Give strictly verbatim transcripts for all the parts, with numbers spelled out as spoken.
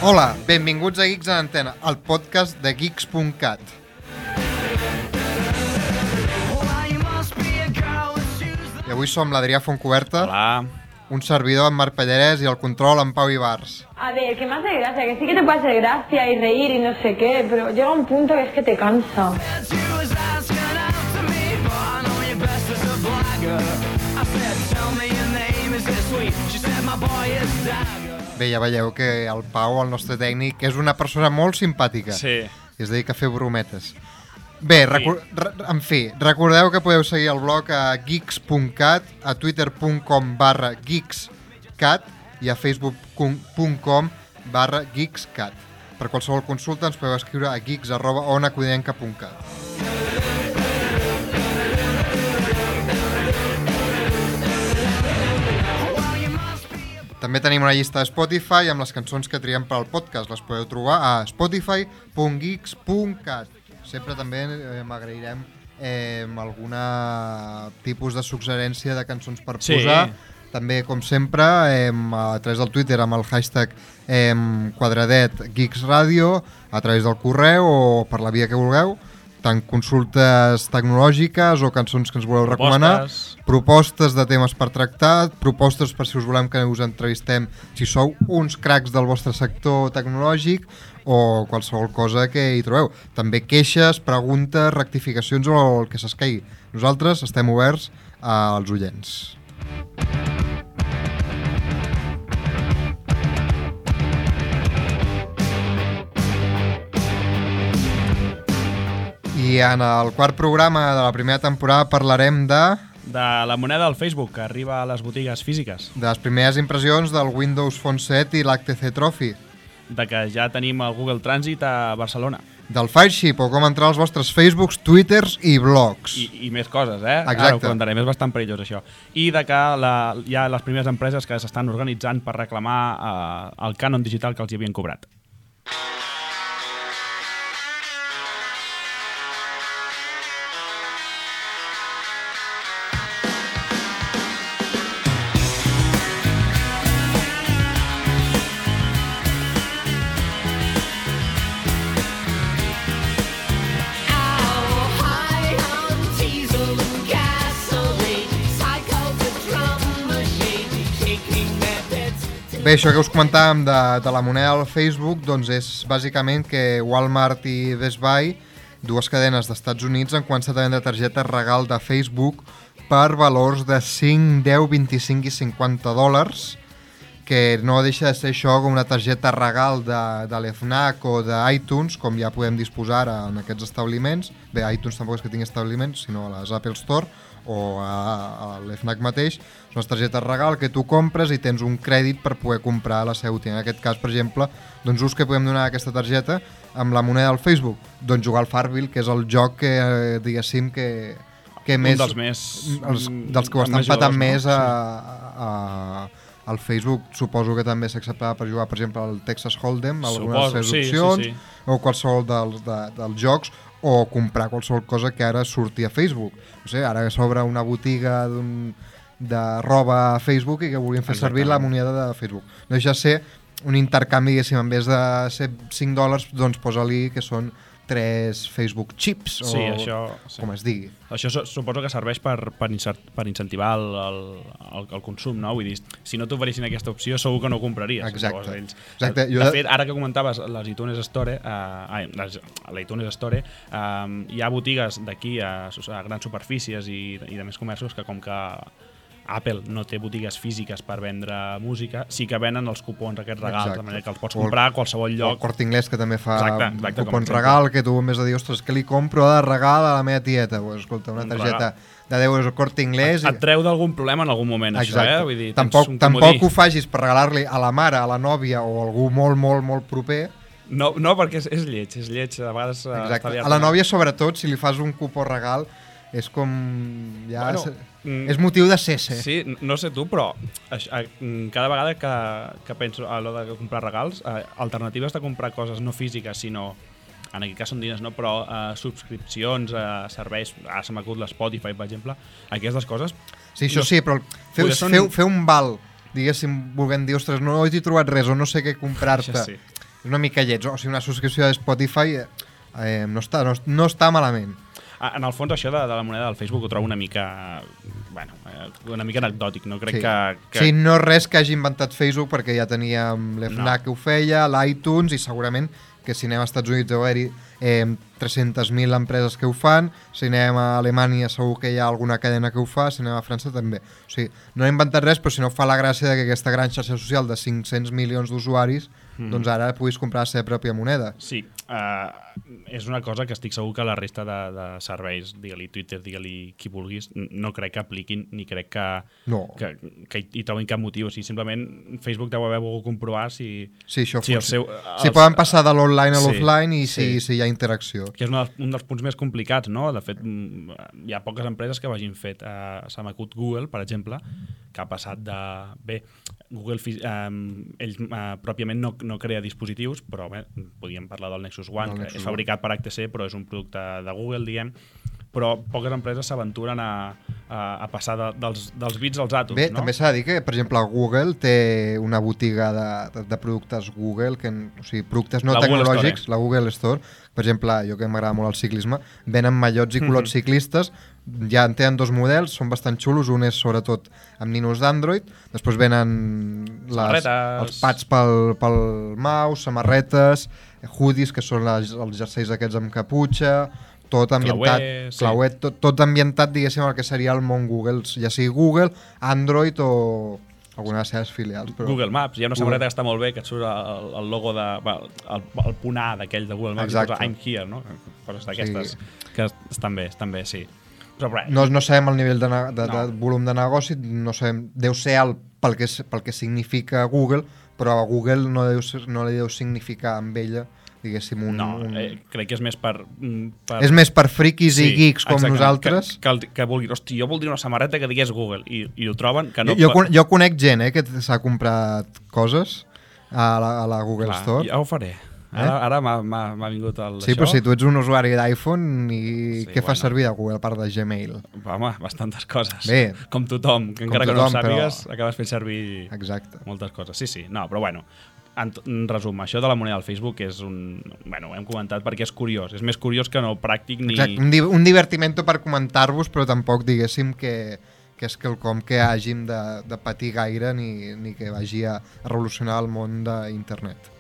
Hola, benvinguts a Geeks en Antena, el podcast de geeks punt cat. I avui som l'Adrià Fontcuberta. Hola. Un servidor, en Marc Pallarès, i el control, en Pau Ibars. A ver, que me hace gracia, que sí que te puede hacer gracia y reír y no sé qué, pero llega un punto que es que te cansa. Bé, ja veieu que el Pau, el nostre tècnic, és una persona molt simpàtica. Sí. I es dedica a fer brometes. Bé, recu- re- en fi, recordeu que podeu seguir el blog a geeks punt cat, a twitter punt com barra geekscat i a facebook punt com barra geekscat. Per qualsevol consulta ens podeu escriure a geeks arroba onacudinenca punt cat. També tenim una llista de Spotify amb les cançons que triem per al podcast. Les podeu trobar a spotify punt geeks punt cat. Sempre també eh, m'agrairem eh, alguna tipus de suggerència de cançons per Sí. posar. També, com sempre, eh, a través del Twitter amb el hashtag eh, quadradet Geeks Radio, a través del correu o per la via que vulgueu, tant consultes tecnològiques o cançons que ens voleu recomanar, Propostes. propostes de temes per tractar, propostes per si us volem que us entrevistem si sou uns cracs del vostre sector tecnològic o qualsevol cosa que hi trobeu. També queixes, preguntes, rectificacions o el que s'escaigui. Nosaltres estem oberts als oients. I en el quart programa de la primera temporada parlarem de, De la moneda del Facebook, que arriba a les botigues físiques. de les primeres impressions del Windows Phone set i l'H T C Trophy, De que ja tenim el Google Transit a Barcelona. del Fireship o com entrar als vostres Facebooks, Twitters i blogs. I, i més coses, eh? Exacte. Ara ho comentarem, és bastant perillós això. I de que la, hi ha les primeres empreses que s'estan organitzant per reclamar eh, el cànon digital que els hi havien cobrat. Bé, això que us comentàvem de, de la moneda del Facebook, doncs és bàsicament que Walmart i Best Buy, dues cadenes d'Estats Units, han començat a vendre targetes regal de Facebook per valors de cinc, deu, vint-i-cinc i cinquanta dòlars, que no deixa de ser això com una targeta regal de, de l'FNAC o d'iTunes, com ja podem disposar ara en aquests establiments. Bé, iTunes tampoc és que tingui establiments, sinó a les Apple Store o a, a l'FNAC mateix. Són les targetes regal que tu compres i tens un crèdit per poder comprar a la seva botiga. En aquest cas, per exemple, doncs ús que podem donar a aquesta targeta amb la moneda del Facebook, doncs jugar al Farmville, que és el joc que, eh, diguéssim, que, que Un més... dels més... Els, dels que ho estan més patant jugadors, més no? a, a, al Facebook. Suposo que també s'acceptava per jugar, per exemple, al Texas Hold'em, algunes de les seves sí, sí, opcions, sí. o qualsevol dels, de, dels jocs, o comprar qualsevol cosa que ara surti a Facebook. No sé, ara s'obre una botiga d'un, de roba a Facebook i que volien fer servir la moneda de Facebook. No deixa de ser un intercanvi, diguéssim, en vez de ser cinc dòlars, doncs posa-li que són tres Facebook chips, o Sí, això, sí. com es digui. Això su- suposo que serveix per, per, insert, per incentivar el, el, el, el consum, no? Vull dir, si no t'oferissin aquesta opció, segur que no ho compraries. Exacte. Llavors, ells- Exacte. De, Jo de de- fet, ara que comentaves les iTunes Store, eh, ai, les, a l'iTunes Store, eh, hi ha botigues d'aquí a, a grans superfícies i, i de més comerços que com que Apple no té botigues físiques per vendre música, sí que venen els cupons aquests regals, Exacte. de manera que els pots O el- comprar a qualsevol El lloc. Corte Inglés, que també fa Exacte, exacte, com a cupons exemple. regal, que tu en vez de dir, ostres, que li compro de regal a la meva tieta? Pues, escolta, una Un targeta regal. de deu euros al Corte Inglés... Et treu d'algun problema en algun moment, Exacte. això, eh? Vull dir, tens tampoc, un tampoc comodí. ho facis per regalar-li a la mare, a la nòvia o a algú molt, molt, molt proper. No, no, perquè és, és lleig, és lleig, a vegades... eh, està Exacte. aviat- A la nòvia, sobretot, si li fas un cupó regal, és com... Ja Bueno, és, mm, és motiu de cese. Sí, n- no sé tu, però aix- a- mm, cada vegada que, que penso a l'hora de comprar regals, eh, alternatives de comprar coses no físiques, sinó, en aquest cas són diners, no? Però eh, subscripcions, eh, serveis, ara se m'acut l'Spotify, per exemple, aquestes coses... Sí, això no- sí, però feu, Poder són- feu, feu un val, diguéssim, volent dir, ostres, no he trobat res o no sé què comprar-te. Això sí. una mica lleig. O sigui, una subscripció de Spotify eh, no, està, no, no està malament. En el fons, això de, de la moneda del Facebook ho trobo una mica, bueno, una mica anecdòtic, no? Crec sí. que, que... Sí, no res que hagi inventat Facebook, perquè ja teníem l'FNAC no. que ho feia, l'iTunes, i segurament que si anem als Estats Units deu haver-hi eh, tres-centes mil empreses que ho fan, si anem a Alemanya segur que hi ha alguna cadena que ho fa, si anem a França també. O sigui, no ha inventat res, però si no fa la gràcia de que aquesta gran xarxa social de cinc-cents milions d'usuaris, mm. doncs ara puguis comprar la seva pròpia moneda. Sí, uh, és una cosa que estic segur que la resta de, de serveis, digue-li Twitter, digue-li qui vulguis, no crec que apliquin ni crec que, no. que, que hi trobin cap motiu. O sigui, simplement Facebook deu haver volgut comprovar si... Sí, això si, el seu, els, si poden passar de l'online a sí, l'offline i si, sí. si hi ha interacció. Que és un dels, un dels punts més complicats, no? De fet, hi ha poques empreses que ho hagin fet. Uh, Se m'acut Google, per exemple, que ha passat de... Bé, Google um, ell uh, pròpiament no, no crea dispositius, però bé, podríem parlar del Nexus One, el que Nexus és fabricat per H T C, però és un producte de Google, diguem, però poques empreses s'aventuren a, a, a passar de, dels, dels bits als àtoms. Bé, no? també s'ha de dir que, per exemple, Google té una botiga de, de, de productes Google, que, o sigui, productes no la tecnològics, Store, eh? la Google Store. Per exemple, jo que m'agrada molt el ciclisme, venen mallots i culots mm-hmm. ciclistes, ja en tenen dos models, són bastant xulos, un és sobretot amb ninos d'Android, després venen les, els pads pel, pel mouse, samarretes, hoodies, que són les, els jerseis aquests amb caputxa, tot ambientat, clauet, sí. clauet, tot, tot ambientat, diguéssim, el que seria el món Google, ja sigui Google, Android o alguna de les seves filials. Però... Google Maps, hi ha una samarreta que està molt bé, que et surt el, el logo de... el, el punt A d'aquell de Google Maps, exacte. I posa I'm here, no? Coses d'aquestes sí. que estan bé, estan bé, sí. Però, però, no, no sabem el nivell de, de, no. de volum de negoci, no sabem, deu ser alt pel que, pel que significa Google, però a Google no, deu, no li deu significar amb ella, diguéssim, un... No, un... Eh, crec que és més per, per... És més per friquis sí, i geeks com exacte, nosaltres. Que, que, que vulguin, hosti, jo voldria una samarreta que digués Google, i, i ho troben que no... Jo, jo, jo conec gent eh, que s'ha comprat coses a la, a la Google Clar, Store. Ja ho faré. Ara, ara m'ha vingut el Sí, això. però si tu ets un usuari d'iPhone i sí, què bueno. fas servir de Google a part de Gmail? Home, bastantes coses. Bé, com tothom, que com encara tothom, que no ho sàpigues, però... acabes fent servir Exacte. moltes coses. Sí, sí, no, però bueno, en, en resum, això de la moneda del Facebook és un... Bueno, ho hem comentat perquè és curiós, és més curiós que no pràctic ni... Exacte, un, di un divertimento per comentar-vos, però tampoc diguéssim que, que és quelcom que hàgim de, de patir gaire ni, ni que vagi a revolucionar el món d'internet.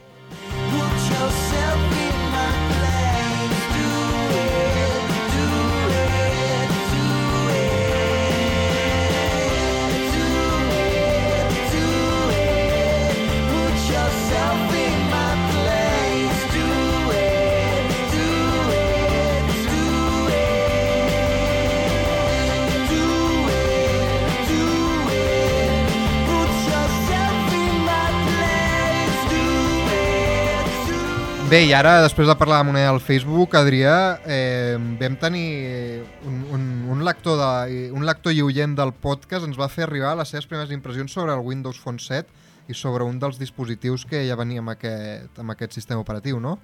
Bé, i ara, després de parlar de la moneda del Facebook, Adrià, eh, vam tenir un, un, un, lector de, un lector i oient del podcast ens va fer arribar les seves primeres impressions sobre el Windows Phone set i sobre un dels dispositius que ja venia amb aquest, amb aquest sistema operatiu, no?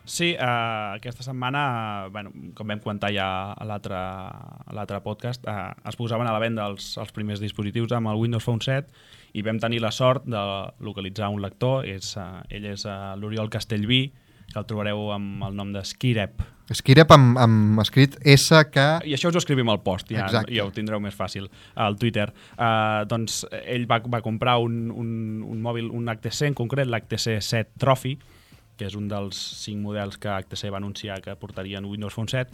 Sí, eh, aquesta setmana, bueno, com vam comentar ja a l'altre podcast, eh, es posaven a la venda els, els primers dispositius amb el Windows Phone set i vam tenir la sort de localitzar un lector. És, eh, ell és eh, l'Oriol Castellví, que el trobareu amb el nom de Skirep. Skirep amb, amb escrit S K... I això us ho escrivim al post, ja, ja ho tindreu més fàcil al Twitter. Uh, doncs ell va, va comprar un, un, un mòbil, un H T C en concret, l'H T C set Trophy, que és un dels cinc models que H T C va anunciar que portarien Windows Phone set,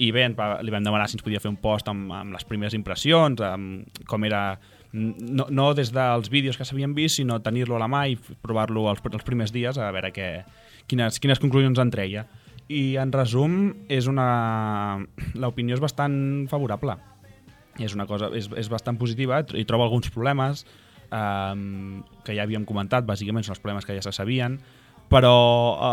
i bé, li vam demanar si ens podia fer un post amb, amb les primeres impressions, amb com era... No, no des dels vídeos que s'havien vist, sinó tenir-lo a la mà i provar-lo els, els primers dies a veure què, quines, quines conclusions en treia. I en resum, és una... l'opinió és bastant favorable. És una cosa, és, és bastant positiva, i trobo alguns problemes eh, que ja havíem comentat, bàsicament són els problemes que ja se sabien, però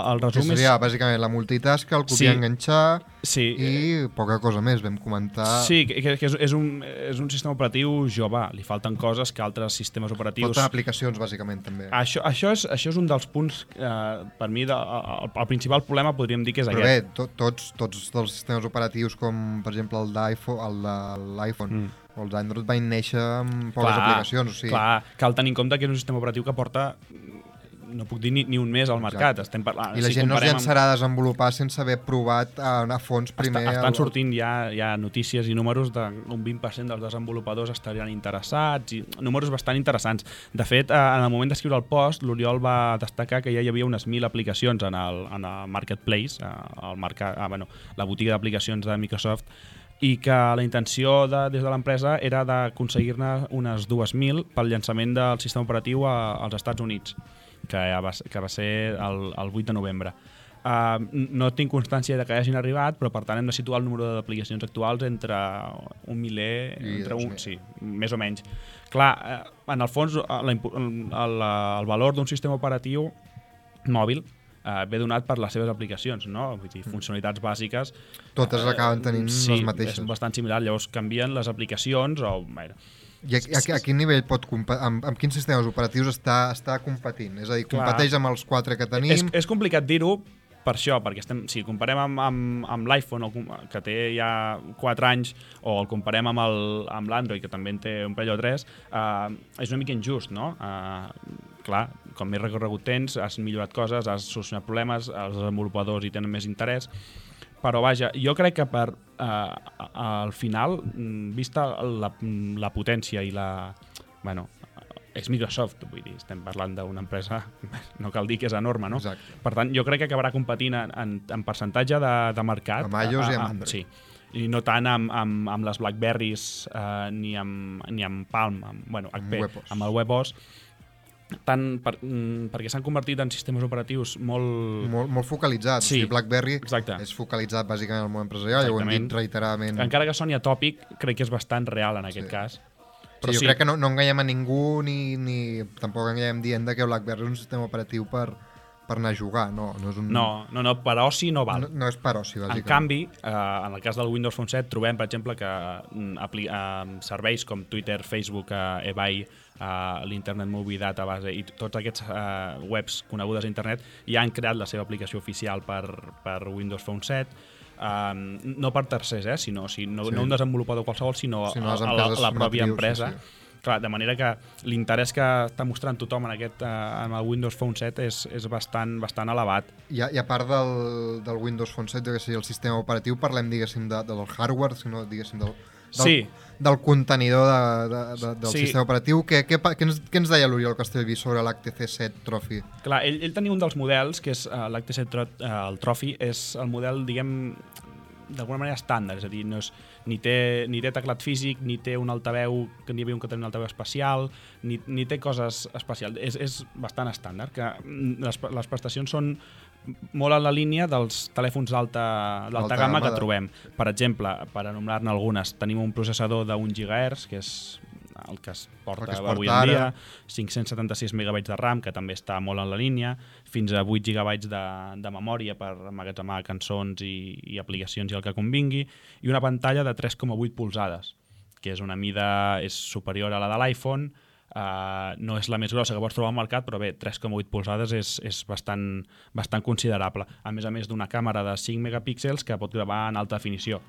el resum que seria, és... bàsicament la multitask, el copiar, sí, enganxar sí, i poca cosa més, vam comentar... Sí, que, que és, és, un, és un sistema operatiu jove, li falten coses que altres sistemes operatius... Falten aplicacions, bàsicament, també. Això, això, és, això és un dels punts, eh, per mi, de, el, el principal problema podríem dir que és Però aquest. bé, to, tots, tots els sistemes operatius, com per exemple el d'iPhone, el de l'iPhone, mm. o els Android, van néixer amb poques clar, aplicacions. O sigui... Clar, cal tenir en compte que és un sistema operatiu que porta no puc dir ni, ni un mes al mercat. Estem parlant, I la si gent no es llançarà amb... a desenvolupar sense haver provat a, a fons primer... Està, estan el... sortint ja, ja notícies i números d'un vint per cent dels desenvolupadors estarien interessats, i números bastant interessants. De fet, en el moment d'escriure el post, l'Oriol va destacar que ja hi havia unes mil aplicacions en el, en el Marketplace, el mercat, ah, bueno, la botiga d'aplicacions de Microsoft, i que la intenció de, des de l'empresa era d'aconseguir-ne unes dues mil pel llançament del sistema operatiu a, als Estats Units, que, ja va, que va ser el, el vuit de novembre. Uh, no tinc constància de que hagin arribat, però per tant hem de situar el número d'aplicacions actuals entre un miler, entre un, sí, més o menys. Clar, en el fons, la, el, el valor d'un sistema operatiu mòbil Uh, ve donat per les seves aplicacions, no? Vull dir, funcionalitats bàsiques... Totes uh, acaben tenint sí, les mateixes. Sí, és bastant similar. Llavors canvien les aplicacions o... Bueno, I a, a, a quin nivell pot amb, amb quins sistemes operatius està, està competint? És a dir, competeix amb els quatre que tenim? És, és complicat dir-ho per això, perquè estem, si comparem amb, amb, amb l'iPhone, que té ja quatre anys, o el comparem amb l'Android, que també en té un parell o tres, uh, és una mica injust, no? Uh, clar, com més recorregut tens, has millorat coses, has solucionat problemes, els desenvolupadors hi tenen més interès, però vaja, jo crec que per eh, al final, vista la, la potència i la... Bueno, és Microsoft, vull dir, estem parlant d'una empresa, no cal dir que és enorme, no? Exacte. Per tant, jo crec que acabarà competint en, en, en percentatge de, de mercat. Amb iOS i amb Android. Sí, i no tant amb, amb, amb les BlackBerries eh, ni, amb, ni amb Palm, amb, bueno, H P, amb, amb el WebOS, tant per, perquè s'han convertit en sistemes operatius molt... Molt, molt focalitzats. Sí, o sigui, BlackBerry exacte. És focalitzat bàsicament al món empresarial, ja ho hem dit reiteradament. Encara que soni atòpic, crec que és bastant real en aquest sí. cas. Però sí, jo sí. crec que no, no enganyem a ningú ni, ni tampoc enganyem dient que BlackBerry és un sistema operatiu per, per anar a jugar. No, no, és un... no, no, no, per oci no val. No, no és per oci, bàsicament. En canvi, eh, en el cas del Windows Phone set, trobem, per exemple, que apli eh, serveis com Twitter, Facebook, eh, eBay, Uh, l'Internet Movie Database i tots aquests uh, webs conegudes a internet ja han creat la seva aplicació oficial per, per Windows Phone set, uh, no per tercers, eh, sinó, si no, sí. no un desenvolupador qualsevol, sinó, sinó a, a, la, a la pròpia empresa. Sí, sí. Clar, de manera que l'interès que està mostrant tothom en, aquest, uh, en el Windows Phone set és, és bastant, bastant elevat. I a, i a part del, del Windows Phone set, diguéssim, el sistema operatiu, parlem, diguéssim, de, del hardware, sinó, diguéssim, del... Del, sí. del contenidor de, de, de, del sí. sistema operatiu. Què, què, què, ens, què ens deia l'Oriol Castellví sobre l'H T C set Trophy? Clar, ell, ell tenia un dels models, que és uh, l'H T C set uh, el Trophy, és el model, diguem, d'alguna manera estàndard, és a dir, no és, ni, té, ni té teclat físic, ni té un altaveu, que n'hi havia un que tenia un altaveu especial, ni, ni té coses especials. És, és bastant estàndard, que les, les prestacions són molt en la línia dels telèfons d'alta gamma que de... trobem. Per exemple, per anomenar-ne algunes, tenim un processador d'un gigahertz, que és el que es porta, que es porta avui en dia, cinc-cents setanta-sis megabytes de RAM, que també està molt en la línia, fins a vuit gigabytes de, de memòria per emmagatzemar cançons i, i aplicacions i el que convingui, i una pantalla de tres coma vuit polzades, que és una mida és superior a la de l'iPhone. Uh, no és la més grossa que pots trobar al mercat, però bé, tres coma vuit polzades és, és bastant, bastant considerable, a més a més d'una càmera de cinc megapíxels que pot gravar en alta definició.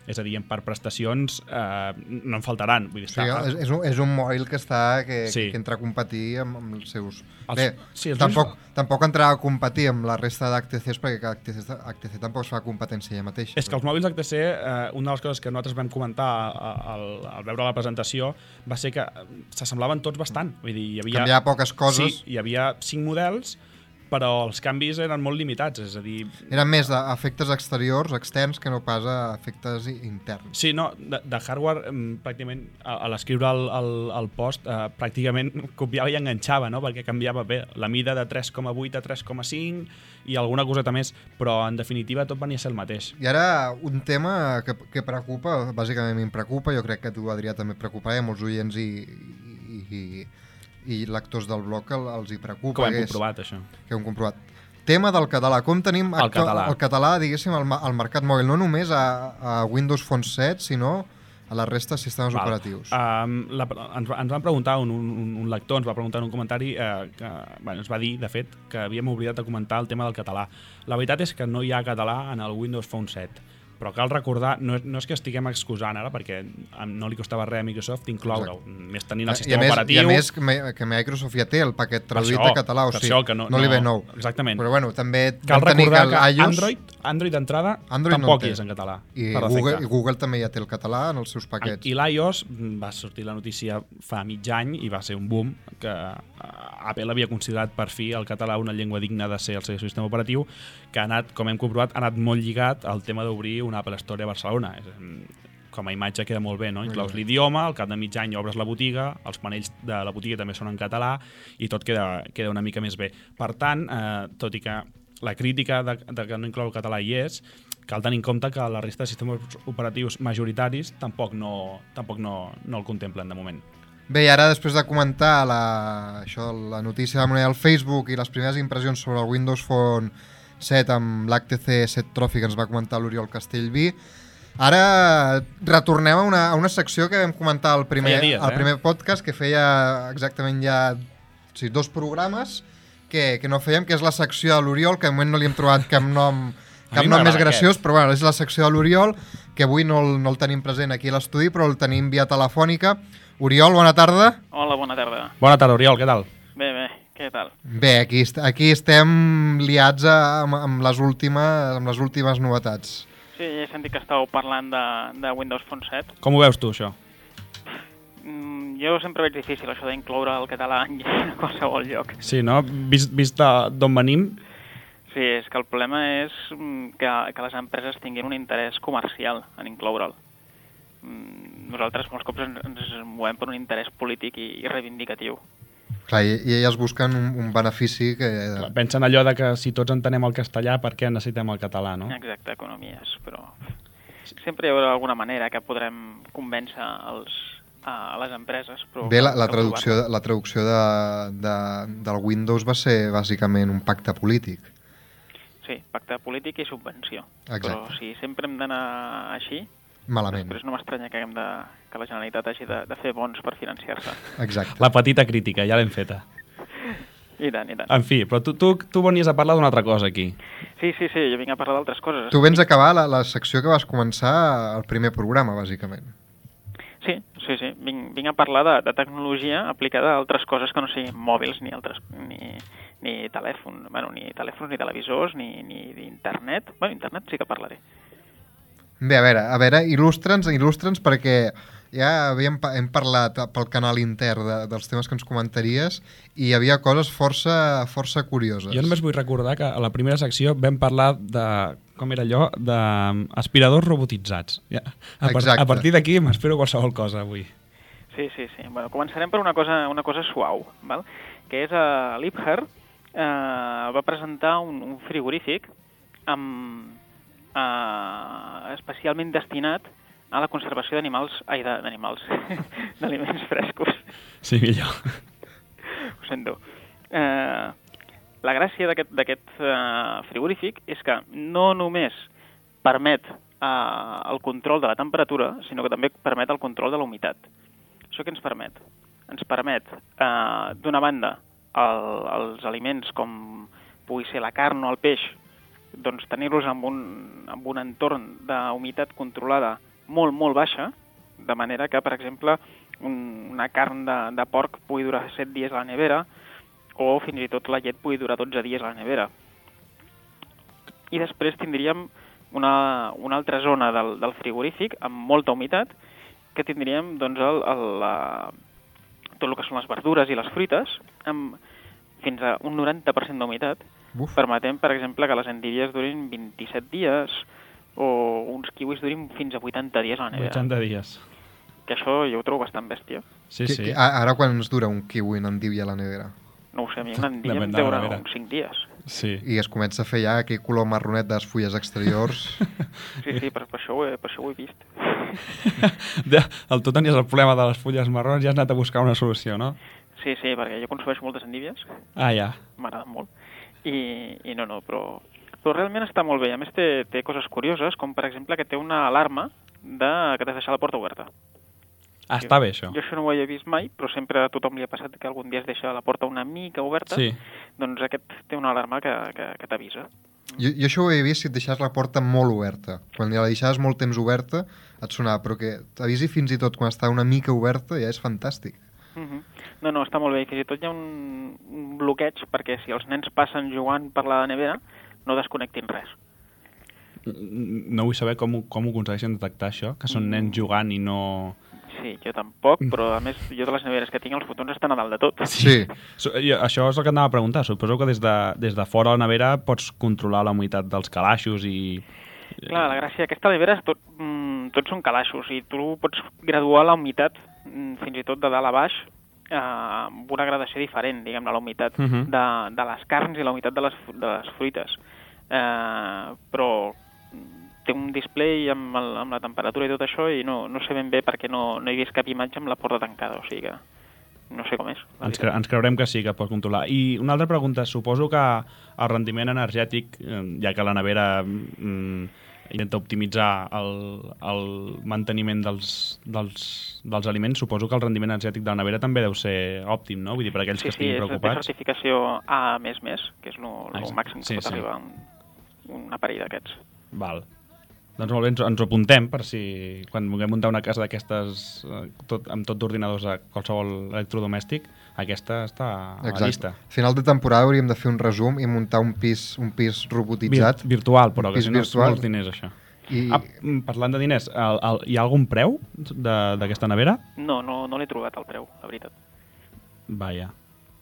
És a dir, per prestacions eh, no en faltaran. Vull dir, sí, està... és, és, un, és un mòbil que està que, sí. que entra a competir amb, amb els seus... Els, Bé, sí, els tampoc, ulls... tampoc entrarà a competir amb la resta d'H T Cs perquè H T C, H T C tampoc es fa competència ella mateixa. És que els mòbils H T C, eh, una de les coses que nosaltres vam comentar al, al veure la presentació va ser que s'assemblaven tots bastant. Vull dir, hi havia... Canviava poques coses. Sí, hi havia cinc models, però els canvis eren molt limitats, és a dir... Eren més d'efectes exteriors, externs, que no pas a efectes interns. Sí, no, de, de hardware, pràcticament, a, a l'escriure el, el, el post, eh, pràcticament copiava i enganxava, no?, perquè canviava bé la mida de tres coma vuit a tres coma cinc i alguna coseta més, però en definitiva tot venia a ser el mateix. I ara un tema que, que preocupa, bàsicament em preocupa, jo crec que tu, Adrià, també et preocuparà, i molts oients i... i, i i lectors del blog el, els hi preocupa. Que ho hem comprovat, això. Que ho hem comprovat. Tema del català. Com tenim el català, el català diguéssim, al, al mercat mòbil, no només a, a Windows Phone set, sinó a la resta de sistemes Val. operatius? Um, la, ens, ens van preguntar, un, un, un lector ens va preguntar en un comentari, eh, que bueno, ens va dir, de fet, que havíem oblidat de comentar el tema del català. La veritat és que no hi ha català en el Windows Phone set. Però cal recordar, no, no és que estiguem excusant ara, perquè no li costava res a Microsoft incloure-ho, més tenint el sistema I més, operatiu... I a més que, que Microsoft ja té el paquet traduït això, a català, o sigui, que no, no li ve nou. Exactament. Però bueno, també cal vam tenir recordar que, que iOS, Android, Android d'entrada Android tampoc no hi és en català. I per Google, defecte. I Google també ja té el català en els seus paquets. I l'iOS va sortir la notícia fa mig any i va ser un boom que Apple havia considerat per fi el català una llengua digna de ser el seu sistema operatiu, que ha anat, com hem comprovat, ha anat molt lligat al tema d'obrir una Apple Store a Barcelona. Com a imatge queda molt bé, no? Inclous l'idioma, al cap de mig any obres la botiga, els panells de la botiga també són en català i tot queda, queda una mica més bé. Per tant, eh, tot i que la crítica de, de que no inclou el català hi és, cal tenir en compte que la resta de sistemes operatius majoritaris tampoc no, tampoc no, no el contemplen de moment. Bé, i ara després de comentar la, això, la notícia de la moneda al Facebook i les primeres impressions sobre el Windows Phone set amb l'H T C set Trophy que ens va comentar l'Oriol Castellví, ara retornem a una, a una secció que vam comentar al primer, dies, al eh? primer podcast, que feia exactament ja o sigui, dos programes que, que no fèiem, que és la secció de l'Oriol, que de moment no li hem trobat cap nom, cap nom més graciós, aquest. Però bueno, és la secció de l'Oriol, que avui no el, no el tenim present aquí a l'estudi, però el tenim via telefònica. Oriol, bona tarda. Hola, bona tarda. Bona tarda, Oriol, què tal? Bé, bé, què tal? Bé, aquí, aquí estem liats a, amb, amb, les últimes, amb les últimes novetats. Sí, ja he sentit que estàveu parlant de, de Windows Phone set. Com ho veus tu, això? Mm, jo sempre veig difícil això d'incloure el català en qualsevol lloc. Sí, no? Vist, vist d'on venim? Sí, és que el problema és que, que les empreses tinguin un interès comercial en incloure'l. Nosaltres molts cops ens, ens movem per un interès polític i, i reivindicatiu. Clar, i, i elles busquen un, un benefici que... Clar, pensen allò de que si tots entenem el castellà, per què necessitem el català, no? Exacte, economies, però sempre hi haurà alguna manera que podrem convèncer els, a les empreses. Però bé, la, la traducció, la traducció de, de, del Windows va ser bàsicament un pacte polític. Sí, pacte polític i subvenció. Exacte. Però si sempre hem d'anar així, malament. Després no m'estranya que, de, que la Generalitat hagi de, de fer bons per financiar-se. Exacte. La petita crítica, ja l'hem feta. I tant, i tant. En fi, però tu, tu, tu venies a parlar d'una altra cosa aquí. Sí, sí, sí, jo vinc a parlar d'altres coses. Tu vens a acabar la, la secció que vas començar al primer programa, bàsicament. Sí, sí, sí. Vinc, vinc a parlar de, de tecnologia aplicada a altres coses que no siguin mòbils ni altres... ni... ni telèfon, bueno, ni telèfons, ni televisors, ni, ni internet. Bueno, internet sí que parlaré. Bé, a veure, a veure, il·lustra'ns, il·lustra'ns perquè ja havíem, hem parlat pel canal intern de, dels temes que ens comentaries i hi havia coses força, força curioses. Jo només vull recordar que a la primera secció vam parlar de, com era allò, d'aspiradors robotitzats. Ja, a, par a partir d'aquí m'espero qualsevol cosa avui. Sí, sí, sí. Bueno, començarem per una cosa, una cosa suau, val? Que és a uh, Liebherr uh, va presentar un, un frigorífic amb Uh, especialment destinat a la conservació d'animals, ai, d'animals, d'aliments frescos. Sí, millor. Ho sento. Uh, la gràcia d'aquest uh, frigorífic és que no només permet uh, el control de la temperatura, sinó que també permet el control de la humitat. Això què ens permet? Ens permet, uh, d'una banda, el, els aliments com pugui ser la carn o el peix, doncs tenir-los amb, un, amb un entorn d'humitat controlada molt, molt baixa, de manera que, per exemple, un, una carn de, de porc pugui durar set dies a la nevera o fins i tot la llet pugui durar dotze dies a la nevera. I després tindríem una, una altra zona del, del frigorífic amb molta humitat, que tindríem doncs, el, el, la, tot el que són les verdures i les fruites, amb fins a un noranta per cent d'humitat, permetent, per exemple, que les endívies durin vint-i-set dies o uns kiwis durin fins a vuitanta dies a la nevera. vuitanta dies. Que això jo ho trobo bastant bèstia. Sí, que, sí. Que, ara quan ens dura un kiwi en endívia a la nevera? No ho sé, a mi una endívia em deurà uns cinc dies. Sí. I es comença a fer ja aquell color marronet de les fulles exteriors. Sí, sí, per, per, això ho he, per això ho he vist. El tu tenies el problema de les fulles marrons i has anat a buscar una solució, no? Sí, sí, perquè jo consumeixo moltes endívies. Ah, ja. M'agraden molt. I, i no, no, però, però realment està molt bé. A més, té, té coses curioses, com per exemple que té una alarma de, que t'has deixat la porta oberta. Ah, està bé, això. Jo això no ho havia vist mai, però sempre a tothom li ha passat que algun dia es deixa la porta una mica oberta. Sí. Doncs aquest té una alarma que, que, que t'avisa. Jo, jo això ho he vist si et deixaves la porta molt oberta. Quan la deixaves molt temps oberta et sonava, però que t'avisi fins i tot quan està una mica oberta ja és fantàstic. Uh -huh. No, no, està molt bé. Fins i tot hi ha un, un bloqueig perquè si els nens passen jugant per la nevera no desconnectin res. No vull saber com, com ho aconsegueixen detectar això, que són nens jugant i no... Sí, jo tampoc, però a més jo de les neveres que tinc els fotons estan a dalt de tot. Sí. So, jo, això és el que anava a preguntar. Suposo que des de, des de fora de la nevera pots controlar la humitat dels calaixos i... Clar, la gràcia d'aquesta nevera és tot, mm, tots són calaixos i tu pots graduar la humitat mm, fins i tot de dalt a baix eh, amb una gradació diferent, diguem-ne, la humitat Uh -huh. de, de les carns i la humitat de les, de les fruites. Eh, però té un display amb, el, amb la temperatura i tot això i no, no sé ben bé perquè no, no he vist cap imatge amb la porta tancada, o sigui que no sé com és. Ens, cre ens creurem que sí, que pot controlar. I una altra pregunta, suposo que el rendiment energètic, eh, ja que la nevera mm, intenta optimitzar el, el manteniment dels, dels, dels aliments, suposo que el rendiment energètic de la nevera també deu ser òptim, no? Vull dir, per aquells sí, que estiguin sí, preocupats. Sí, té certificació A més més, que és el Exacte. màxim que Sí, pot sí. arribar un, un aparell d'aquests. Val. Doncs molt bé, ens, ens ho apuntem per si quan vulguem muntar una casa d'aquestes eh, tot, amb tot d'ordinadors a qualsevol electrodomèstic, aquesta està a la llista. A final de temporada hauríem de fer un resum i muntar un pis, un pis robotitzat. Vir virtual, però, que pis si no és virtual. molts diners, això. I... Ah, mm, parlant de diners, el, el, hi ha algun preu d'aquesta nevera? No, no, no l'he trobat al preu, la veritat. Vaja.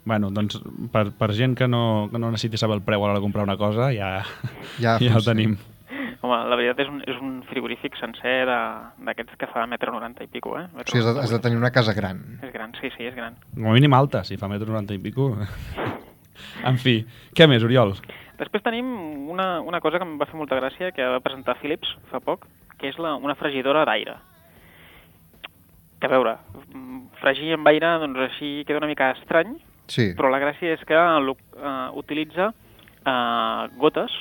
Bueno, doncs per, per gent que no, que no necessiti saber el preu a l'hora de comprar una cosa, ja, Ja ja, ja el funciona. tenim. Home, la veritat és un, és un frigorífic sencer d'aquests que fa metro noranta i pico, eh? O sigui, has de, has de tenir una casa gran. És gran, sí, sí, és gran. Com a mínim alta, si fa metro noranta i pico. En fi, què més, Oriol? Després tenim una, una cosa que em va fer molta gràcia, que va presentar Philips fa poc, que és la, una fregidora d'aire. Que a veure, fregir amb aire, doncs així queda una mica estrany, Sí. però la gràcia és que uh, utilitza uh, gotes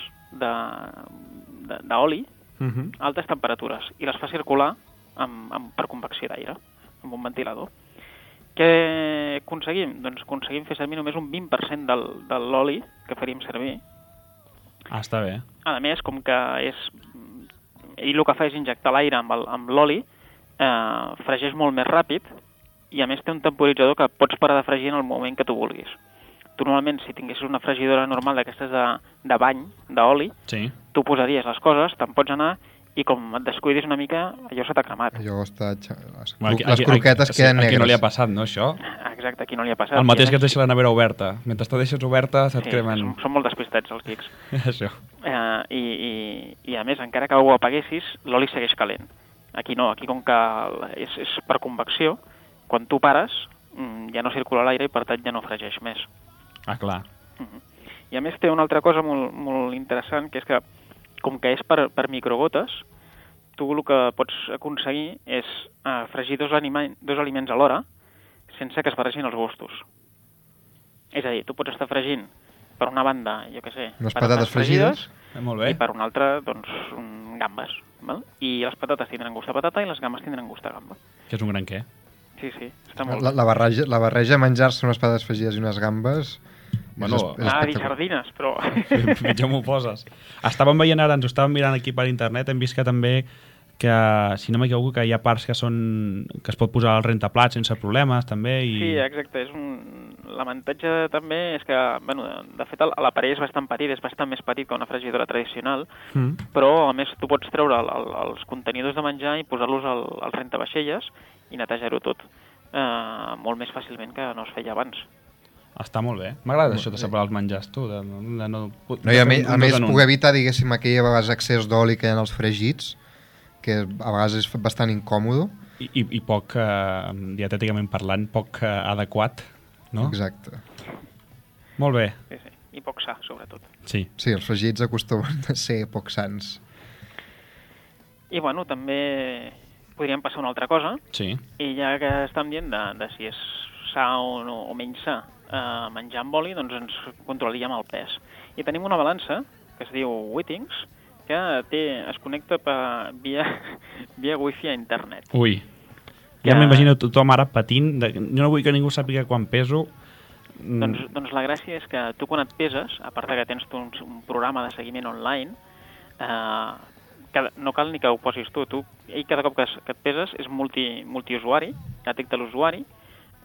d'oli Uh -huh. a altes temperatures i les fa circular amb, amb, per convecció d'aire, amb un ventilador. Què aconseguim? Doncs aconseguim fer servir només un vint per cent del, de l'oli que faríem servir. Ah, està bé. A més, com que és... ell el que fa és injectar l'aire amb el- amb l'oli, eh, fregeix molt més ràpid i a més té un temporitzador que pots parar de fregir en el moment que tu vulguis. Tu normalment, si tinguessis una fregidora normal d'aquestes de, de bany, d'oli, Sí. tu posaries les coses, te'n pots anar i com et descuidis una mica, allò se t'ha cremat. Allò està... Les, Bueno, les croquetes sí, queden negres. Aquí no li ha passat, no, això? Exacte, aquí no li ha passat. El mateix I a que et més- deixa la nevera oberta. Mentre te deixes oberta, se't Sí, cremen... són, són molt despistats els geeks. Això. Eh, i, i, I a més, encara que ho apaguessis, l'oli segueix calent. Aquí no, aquí com que és, és per convecció, quan tu pares mm, ja no circula l'aire i per tant ja no fregeix més. Ah, clar. Uh-huh. I a més té una altra cosa molt, molt interessant, que és que com que és per, per microgotes, tu el que pots aconseguir és eh, fregir dos, anima, dos aliments alhora sense que es barregin els gustos. És a dir, tu pots estar fregint per una banda, jo què sé, Unes patates patates fregides. Eh, molt i bé. per una altra, doncs, mm, gambes. Val? I les patates tindran gust de patata i les gambes tindran gust de gamba. Que és un gran què. Sí, sí, està molt La, bé. la, barreja, la barreja de menjar-se unes patates fregides i unes gambes... Bueno, és, es- és Ah, dir espectacular. sardines, però... Pitjor m'ho poses. Estàvem veient ara, ens ho estàvem mirant aquí per internet, hem vist que també que, si no m'equivoco, que hi ha parts que són que es pot posar al rentaplats sense problemes, també, i... Sí, exacte. És un... L'avantatge també és que, bueno, de fet, el- l'aparell és bastant petit, és bastant més petit que una fregidora tradicional, Mm. però, a més, tu pots treure el, el, els contenidors de menjar i posar-los al, al rentavaixelles i netejar-ho tot eh, molt més fàcilment que no es feia abans. Està molt bé. M'agrada això de separar els menjars, tu, de, de no... No, i a, me, de fer a un més, dos en un. poder evitar, diguéssim, aquell a vegades excés d'oli que hi ha en els fregits, que a vegades és bastant incòmodo. I, i, i poc, eh, dietèticament parlant, poc eh, adequat, no? Exacte. Molt bé, Sí, sí. I poc sa, sobretot. sí. Sí, els fregits acostumen a ser poc sans. I, bueno, també podríem passar a una altra cosa, Sí. i ja que estem dient de, de si és sa o, no, o menys sa eh, menjar amb oli, doncs ens controlaríem el pes. I tenim una balança que es diu Wittings, que té, es connecta per, via, via wifi a internet. Ui. Ja Que- m'imagino tothom ara patint. De... Jo no vull que ningú sàpiga quan peso. Mm. Doncs, doncs la gràcia és que tu quan et peses, a part que tens tu un, un programa de seguiment online, eh, que no cal ni que ho posis tu. tu ell cada cop que, es, que et peses és multi, multiusuari, que detecta l'usuari,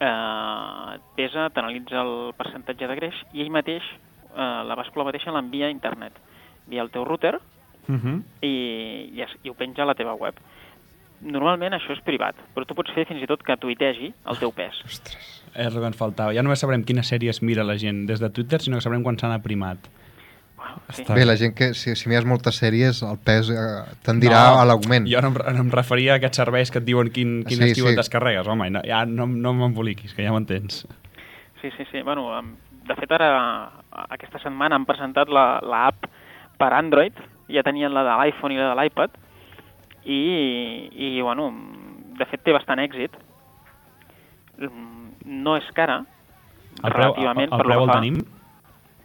eh, et pesa, t'analitza el percentatge de greix i ell mateix, eh, la bàscula mateixa l'envia a internet, via el teu router, Uh -huh. i, i, es, i ho penja a la teva web. Normalment això és privat, però tu pots fer fins i tot que tuitegi el teu pes. Ostres. És el que ens faltava. Ja només sabrem quines sèries mira la gent des de Twitter, sinó que sabrem quan s'han aprimat. Wow, sí. Està Bé, la gent que, si, si mires moltes sèries, el pes eh, tendirà No, a l'augment. Jo no em, no em referia a aquests serveis que et diuen quin, quin Sí, estiu sí. et descarregues, home, no, ja no, no m'emboliquis, que ja m'entens. Sí, sí, sí. Bueno, em- de fet, ara, aquesta setmana han presentat la, la app per Android, ja tenien la de l'iPhone i la de l'iPad, i, i, bueno, de fet té bastant èxit. No és cara, El preu, el, relativament, el per preu lo el que fa, tenim?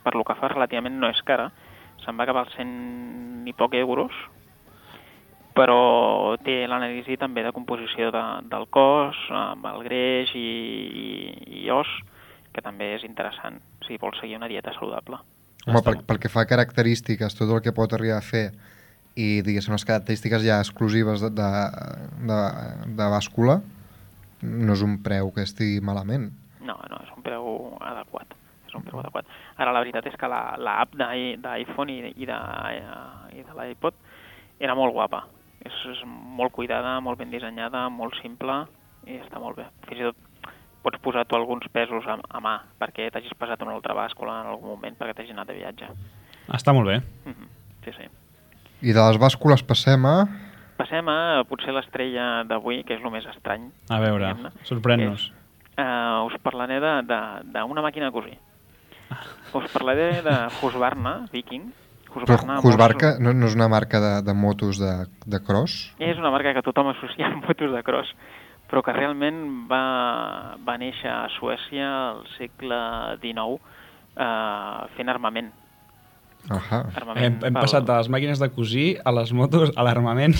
per lo que fa relativament no és cara, se'n va acabar als cent i poc euros, però té l'anàlisi també de composició de, del cos, amb el greix i, i, i os, que també és interessant si vols seguir una dieta saludable. Home, pel, pel que fa a característiques, tot el que pot arribar a fer i, diguéssim, les característiques ja exclusives de, de, de, de bàscula, no és un preu que estigui malament. No, no, és un preu adequat. És un preu adequat. Ara, la veritat és que l'app la, d'iPhone i, i de, i de l'iPod era molt guapa. És, és molt cuidada, molt ben dissenyada, molt simple i està molt bé. Fins i tot pots posar tu alguns pesos a, a mà perquè t'hagis pesat una altra bàscula en algun moment perquè t'hagis anat de viatge. Està molt bé. Mm-hmm. Sí, sí. I de les bàscules passem a... Passem a potser l'estrella d'avui, que és el més estrany. A veure, diguem-ne. sorprèn-nos. Uh, us parlaré d'una màquina de cosir. Us parlaré de Husqvarna Viking. Però Husqvarna no, no és una marca de, de motos de, de cross? És una marca que tothom associa amb motos de cross, però que realment va, va néixer a Suècia al segle dinou eh, fent armament. Ahà. armament Hem, hem pel... passat de les màquines de cosir a les motos, a l'armament,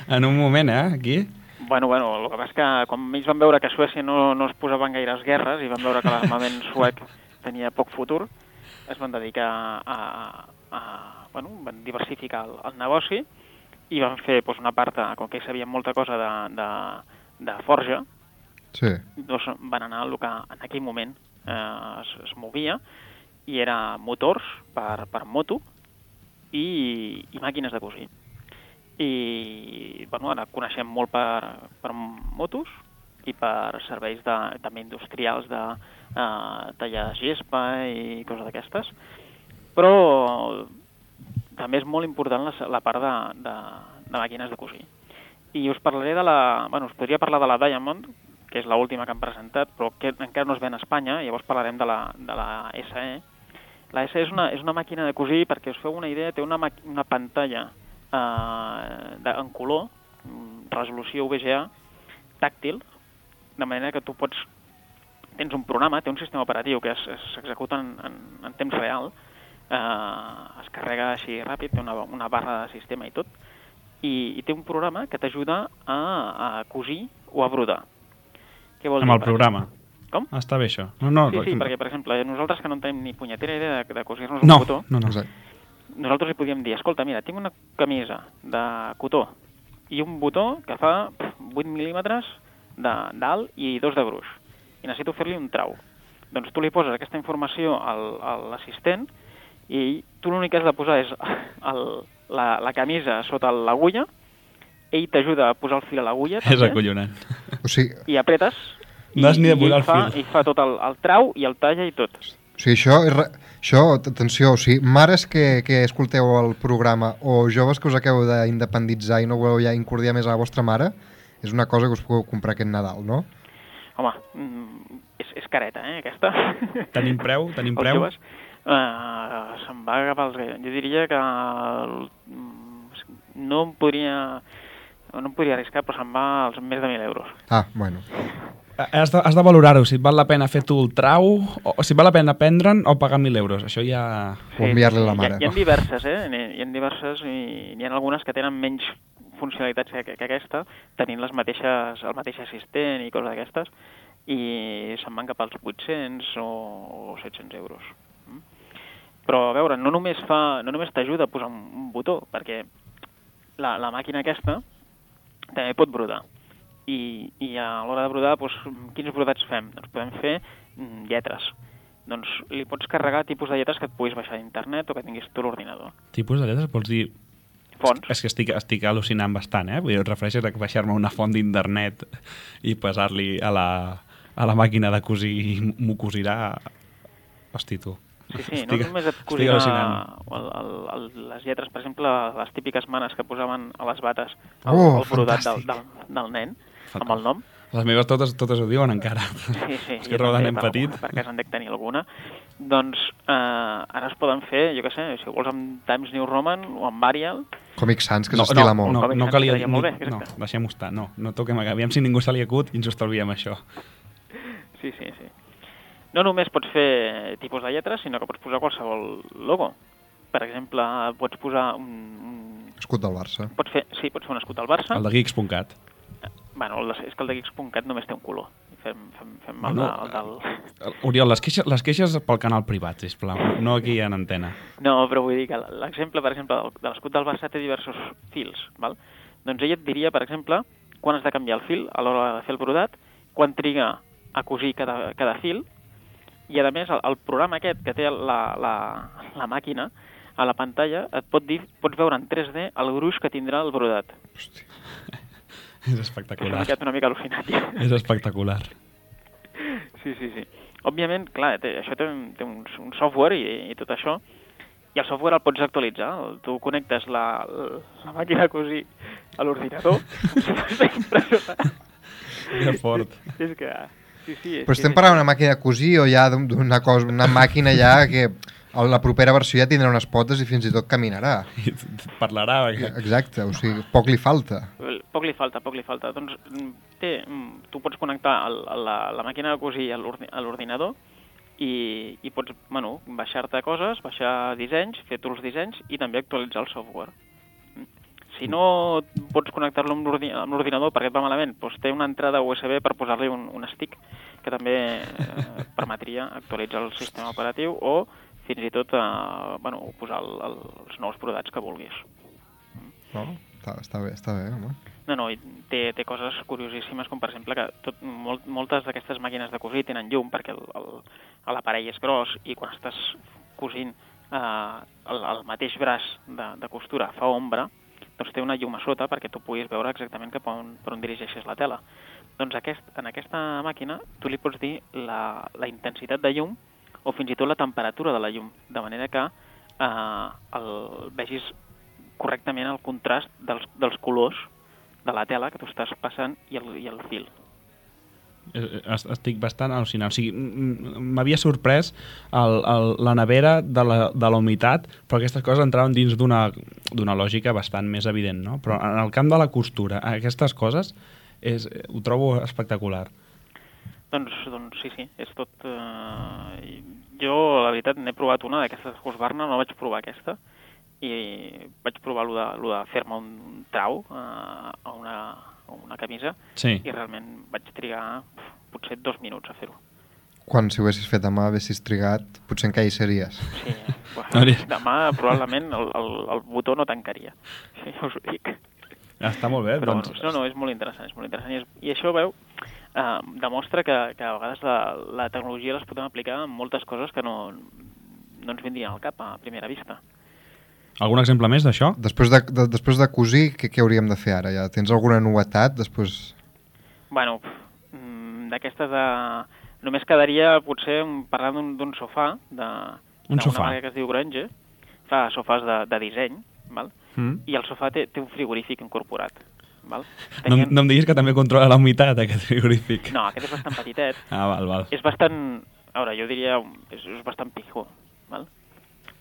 en un moment, eh, aquí. Bueno, bueno, el que passa és que quan ells van veure que a Suècia no, no es posaven gaires guerres i van veure que l'armament suec tenia poc futur, es van dedicar a, a, a bueno, van diversificar el, el negoci i van fer doncs, una part, de, com que sabien molta cosa de, de, de forja, Sí. doncs van anar al que en aquell moment eh, es, es movia i era motors per, per moto i, i màquines de cosir. I bueno, ara coneixem molt per, per motos i per serveis de, també industrials de eh, tallar gespa i coses d'aquestes, però també és molt important la, la part de, de, de màquines de cosir. I us parlaré de la... Bueno, us podria parlar de la Diamond, que és l'última que han presentat, però que encara no es ven a Espanya, llavors parlarem de la, de la S E. La S E és una, és una màquina de cosir, perquè us feu una idea, té una, una pantalla eh, de, en color, resolució V G A, tàctil, de manera que tu pots... Tens un programa, té un sistema operatiu que s'executa en, en, en temps real, eh, es carrega així ràpid, té una, una barra de sistema i tot, i, i té un programa que t'ajuda a, a cosir o a brodar. Què vol Amb dir, el programa. Com? Ah, està bé això. No, no, Sí, sí, no. perquè, per exemple, nosaltres que no en tenim ni punyetera idea de, de cosir-nos un No, cotó, no, no. Exacte. nosaltres li podíem dir, escolta, mira, tinc una camisa de cotó i un botó que fa vuit mil·límetres d'alt i dos de gruix, i necessito fer-li un trau. Doncs tu li poses aquesta informació al, a l'assistent i tu l'únic que has de posar és el, la, la camisa sota l'agulla, ell t'ajuda a posar el fil a l'agulla, És acollonant. O sigui, i apretes, i, No has ni de i posar ell el fa, fil. i fa tot el, el trau i el talla i tot. o sigui això, és re... això, atenció, o sigui, mares que, que escolteu el programa o joves que us acabeu d'independitzar i no voleu ja incordiar més a la vostra mare, és una cosa que us podeu comprar aquest Nadal, no? Home, mm, és, és careta, eh, aquesta. Tenim preu? Tenim Els preu? joves, uh, se'n va agafar els... Jo diria que el, no em podria... No em podria arriscar, però se'n va als més de mil euros. Ah, bueno. Has de, has de valorar-ho, si et val la pena fer tu el trau, o si et val la pena prendre'n o pagar mil euros. Això ja... O enviar-li a la Hi mare. ha, hi ha diverses, eh? Hi ha diverses i hi ha algunes que tenen menys funcionalitats que, que aquesta, tenint les mateixes, el mateix assistent i coses d'aquestes, i se'n van cap als vuit-cents o, o set-cents euros. Mm? Però, a veure, no només fa, no només t'ajuda a posar un, un botó, perquè la, la màquina aquesta també pot brodar. I, i a l'hora de brodar, doncs, quins brodats fem? Doncs podem fer mm, lletres. Doncs li pots carregar tipus de lletres que et puguis baixar d'internet o que tinguis tu l'ordinador. Tipus de lletres? Vols dir... Fonts. És que estic, estic al·lucinant bastant, eh? Vull dir, et refereixes a baixar-me una font d'internet i passar-li a la, a la màquina de cosir i m'ho cosirà... Hosti, tu. Sí, sí, estic, no només et cosirà el, el, el, les lletres, per exemple, les típiques manes que posaven a les bates, el, Oh, el brodat del, fantàstic. del, del nen, amb el nom. Les meves totes, totes ho diuen encara. Sí, sí, És que roda nen per, petit. per cas en dec tenir alguna. Doncs eh, ara es poden fer, jo què sé, si vols amb Times New Roman o amb Arial. Comic Sans, que No, s'estila no, molt. no, Comic no Sans calia... quedaria molt bé, no, exacte. deixem-ho estar. No, no toquem... Aviam si ningú se li acut i ens ho estalviem, això. Sí, sí, sí. No només pots fer tipus de lletres, sinó que pots posar qualsevol logo. Per exemple, pots posar un... un... Escut del Barça. Pots fer, sí, pots fer un escut del Barça. El de geeks punt cat. Bueno, el de, és que el de geeks punt cat només té un color. Fem, fem, fem el, No, de, el del... Oriol, les queixes, les queixes pel canal privat, sisplau, no aquí en antena. No, però vull dir que l'exemple, per exemple, del- de l'escut del Barça té diversos fils, val? Doncs ella et diria, per exemple, quan has de canviar el fil a l'hora de fer el brodat, quan triga a cosir cada, cada fil, i a més el, el programa aquest que té la, la, la màquina a la pantalla et pot dir, pots veure en tres D el gruix que tindrà el brodat. És M'he espectacular. quedat una mica al·lucinat. Ja. És espectacular. Sí, sí, sí. Òbviament, clar, té, això té, un- té un, un software i, i tot això, i el software el pots actualitzar. Tu connectes la, la màquina a cosir a l'ordinador. Que fort. És que... Sí, sí, és Però que estem és- parlant d'una màquina de cosir o ja d'un- d'una cosa, una màquina ja que a la propera versió ja tindrà unes potes i fins i tot caminarà. I parlarà. Que... Exacte, o sigui, poc li falta. Poc li falta, poc li falta. Doncs mm, té, mm, tu pots connectar el, la, la màquina de cosir a l'ordi- a l'ordinador i, i pots, bueno, baixar-te coses, baixar dissenys, fer tu els dissenys i també actualitzar el software. Mm. Si no pots connectar-lo amb l'ordi- amb l'ordinador perquè et va malament, doncs té una entrada U S B per posar-li un, un stick que també eh, permetria actualitzar el sistema operatiu o fins i tot eh, bueno, posar el, el, els nous brodats que vulguis. No? Està, està bé, està bé, home. No, no, i té, té coses curiosíssimes, com per exemple que tot, molt, moltes d'aquestes màquines de cosir tenen llum perquè el- el- l'aparell és gros i quan estàs cosint eh, el, el mateix braç de, de costura fa ombra, doncs té una llum a sota perquè tu puguis veure exactament cap on, per on dirigeixes la tela. Doncs aquest, en aquesta màquina tu li pots dir la, la intensitat de llum o fins i tot la temperatura de la llum, de manera que eh, el, vegis correctament el contrast dels, dels colors de la tela que tu estàs passant i el, i el fil. Es- Estic bastant al·lucinant. O sigui, m- m'havia sorprès el, el, la nevera de la, de la humitat, però aquestes coses entraven dins d'una d'una lògica bastant més evident, no? Però en el camp de la costura, aquestes coses és, ho trobo espectacular. Doncs, doncs sí, sí, és tot... Eh, jo, la veritat, n'he provat una d'aquestes Husqvarna, no vaig provar aquesta, i vaig provar lo de, lo de fer-me un trau eh, a, una, a una camisa, Sí. i realment vaig trigar uf, potser dos minuts a fer-ho. Quan si ho haguessis fet a mà, haguessis trigat, potser encara hi series. Sí, bueno, Hauria- demà probablement el, el, el botó no tancaria, sí, us ho dic. Està molt bé, Però doncs... no, no, és molt interessant, és molt interessant. I, és, i això, veu, eh, demostra que, que a vegades la, la tecnologia les podem aplicar en moltes coses que no, no ens vindrien al cap a primera vista. Algun exemple més d'això? Després de, de, després de cosir, què, què hauríem de fer ara? Ja tens alguna novetat? Després... Bueno, mm, d'aquestes de... Només quedaria potser un- parlant d'un d'un sofà, de, Un d'una sofà. marca que es diu Granger, fa sofàs de, de disseny, val? Mm. I el sofà té, té un frigorífic incorporat. Val? No, Tenien- no em diguis que també controla la humitat, aquest frigorífic. No, aquest és bastant petitet. Ah, val, val. És bastant... A veure, jo diria... És, és bastant pijo, val?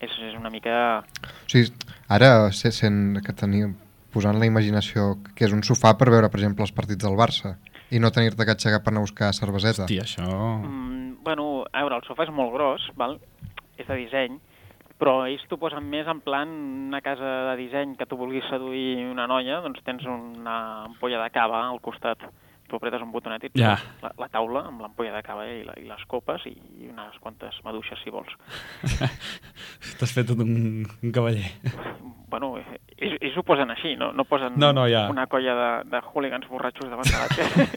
És, és una mica... O sigui, ara se- sent que tenim, posant la imaginació que és un sofà per veure, per exemple, els partits del Barça i no tenir-te que aixecar per anar a buscar cerveseta. Hòstia, això... Mm, bueno, a veure, el sofà és molt gros, val? És de disseny, però ells t'ho posen més en plan una casa de disseny que tu vulguis seduir una noia, doncs tens una ampolla de cava al costat. tu apretes un botonet i et Ja. la, la taula amb l'ampolla de cava i, la, i les copes i, i unes quantes maduixes, si vols. T'has fet tot un, un cavaller. Bueno, ells, ells ho posen així, no, no posen No, no, ja. una colla de, de hooligans borratxos davant de la tele.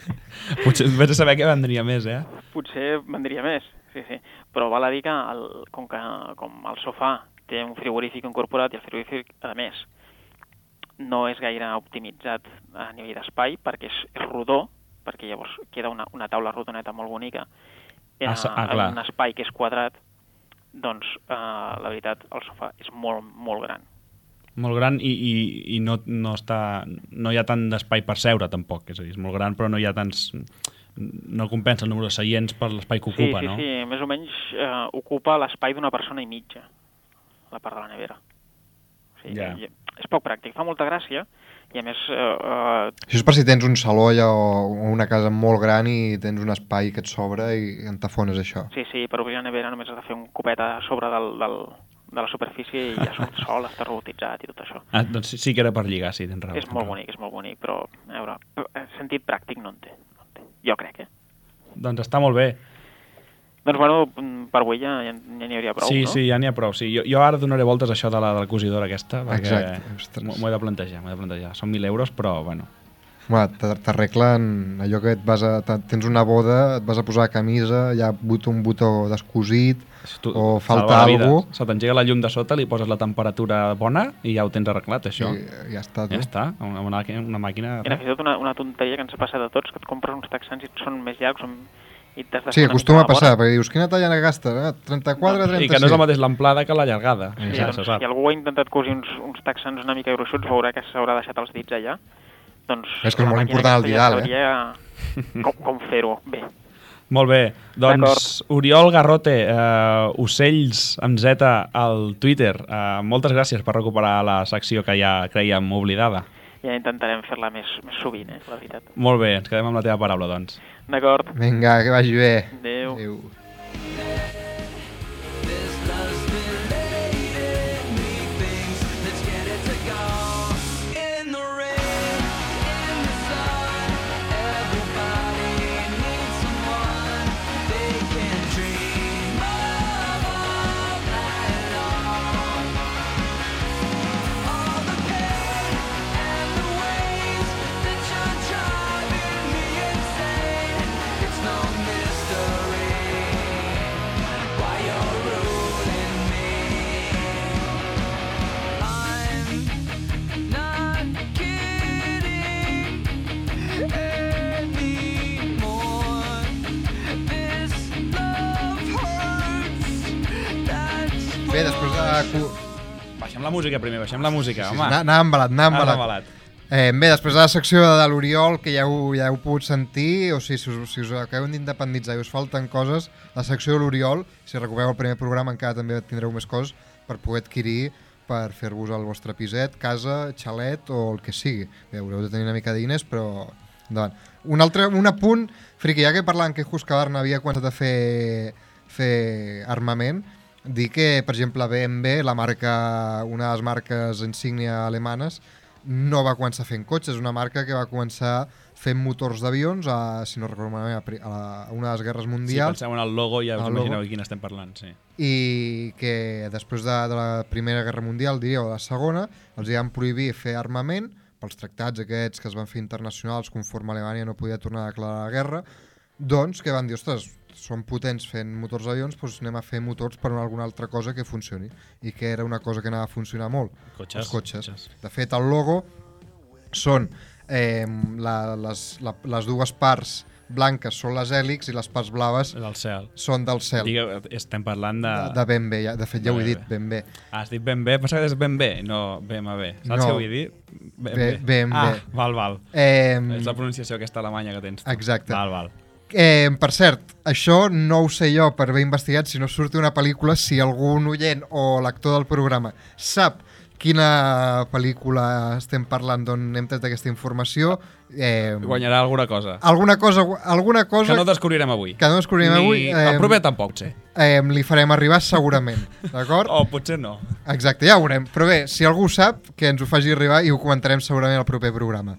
Potser vés a saber què vendria més, eh? Potser vendria més, sí, sí. Però val a dir que, el, com que com el sofà té un frigorífic incorporat i el frigorífic, a més, no és gaire optimitzat a nivell d'espai perquè és, és rodó, perquè llavors queda una, una taula rodoneta molt bonica Ah, ah, en clar. un espai que és quadrat, doncs eh, la veritat el sofà és molt, molt gran. Molt gran i, i, i no, no, està, no hi ha tant d'espai per seure, tampoc. És a dir, és molt gran, però no hi ha tants... No compensa el número de seients per l'espai que ocupa, sí, sí, no? Sí, sí, més o menys eh, ocupa l'espai d'una persona i mitja, la part de la nevera. O sigui, Ja. i- és poc pràctic, fa molta gràcia, i a més... Eh, eh, Això és per si tens un saló allà o o una casa molt gran i tens un espai que et sobra i en tafones això. sí, sí, per obrir la nevera només has de fer un copet a sobre del, del, de la superfície i ja surt sol, està robotitzat i tot això. Ah, doncs sí, sí que era per lligar, sí, tens raó. És tens molt raó. bonic, és molt bonic, però, a veure, eh, sentit pràctic no en té. No en té. Jo crec, eh? Doncs està molt bé. Doncs, bueno, per avui ja ja n'hi hauria prou, sí, no? sí, ja n'hi ha prou. Sí. Jo, jo ara donaré voltes a això de la, de la cosidora aquesta, perquè Exacte, ostres. m'ho m'ho he de plantejar, m'ho he de plantejar. Són mil euros, però, bueno... Home, t- t'arreglen allò que et vas a, t- tens una boda, et vas a posar camisa, hi ha but- un botó descosit Tu, o salva falta la vida. alguna cosa. Se t'engega la llum de sota, li poses la temperatura bona i ja ho tens arreglat, això. I ja està, tu. Ja està, una, una, una màquina... Mira, fins i tot una, una tonteria que ens ha passat a tots, que et compres uns texans i són més llargs són... i t'has de Sí, fer una acostuma a mica passar, vora. perquè dius, quina talla gastes? Eh? trenta-quatre, I trenta-sis. que no és el mateix l'amplada que la llargada. Sí, ja doncs, se sap. si algú ha intentat cosir uns, uns texans una mica gruixuts, veurà que s'haurà deixat els dits allà. Doncs És que és la molt màquina important el aquesta ja didal, eh? sabria com, com fer-ho bé. Molt bé, doncs Oriol Garrote, eh, Ocells amb Z al Twitter, eh, moltes gràcies per recuperar la secció que ja creiem oblidada. Ja intentarem fer-la més, més sovint, eh, la veritat. Molt bé, ens quedem amb la teva paraula, doncs. D'acord. Vinga, que vagi bé. Adéu. Adéu. Bé, després de... Baixem la música primer, baixem la música, Sí, sí, home. anar, anar embalat, anar Ara embalat. embalat. Eh, bé, després de la secció de l'Oriol, que ja heu, ja heu pogut sentir, o sigui, si us, si us acabeu d'independitzar i us falten coses, la secció de l'Oriol, si recupereu el primer programa encara també tindreu més coses per poder adquirir, per fer-vos el vostre piset, casa, xalet o el que sigui. Bé, haureu de tenir una mica de diners, però endavant. Un altre, un apunt, friqui, ja que parlant que Husqvarna havia començat a fer, fer armament, dir que, per exemple, B M W, la marca, una de les marques insígnia alemanes, no va començar fent cotxes, és una marca que va començar fent motors d'avions, a, si no recordo malament, a, pri- a, la, a una de les guerres Sí, mundials, penseu en el logo i ja us El imagineu logo. de quin estem parlant, sí. i que després de, de la Primera Guerra Mundial, diria, o de la Segona, els hi van prohibir fer armament pels tractats aquests que es van fer internacionals conforme Alemanya no podia tornar a declarar la guerra, doncs que van dir, ostres, són potents fent motors d'avions, doncs anem a fer motors per una alguna altra cosa que funcioni. I que era una cosa que anava a funcionar molt. Cotxes, Els cotxes. cotxes. De fet, el logo són eh, la, les, la, les dues parts blanques són les hèlixs i les parts blaves És el cel. són del cel. Digue, estem parlant de... De, de ben bé, ja, de fet ja ho he Bé, dit, bé. ben bé. Ah, has dit ben bé? Pensava que és ben bé, no B M W. Saps No. què vull dir? Ben Bé- ben ah, bé. val, val. Eh, És la pronunciació aquesta alemanya que tens tu. Exacte. Val, val. Eh, per cert, això no ho sé jo per haver investigat, si no surt una pel·lícula, si algun oient o l'actor del programa sap quina pel·lícula estem parlant d'on hem tret aquesta informació, eh, Guanyarà alguna cosa. alguna cosa, alguna cosa Que no descobrirem avui. que no descobrirem Ni... avui, eh, El proper tampoc, sé. eh, li farem arribar segurament, d'acord? O potser no. Exacte, ja ho veurem. Però bé, si algú ho sap, que ens ho faci arribar i ho comentarem segurament al proper programa.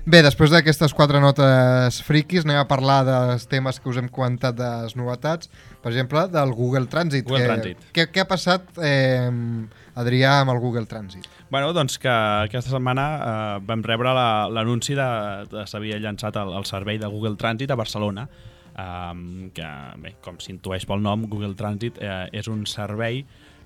Bé, després d'aquestes quatre notes friquis anem a parlar dels temes que us hem comentat de les novetats, per exemple, del Google Transit. Google que, Transit. Què, què ha passat, eh, Adrià, amb el Google Transit? Bueno, doncs que aquesta setmana eh, vam rebre la- l'anunci de, de s'havia llançat el, el servei de Google Transit a Barcelona, eh, que, bé, com s'intueix pel nom, Google Transit eh, és un servei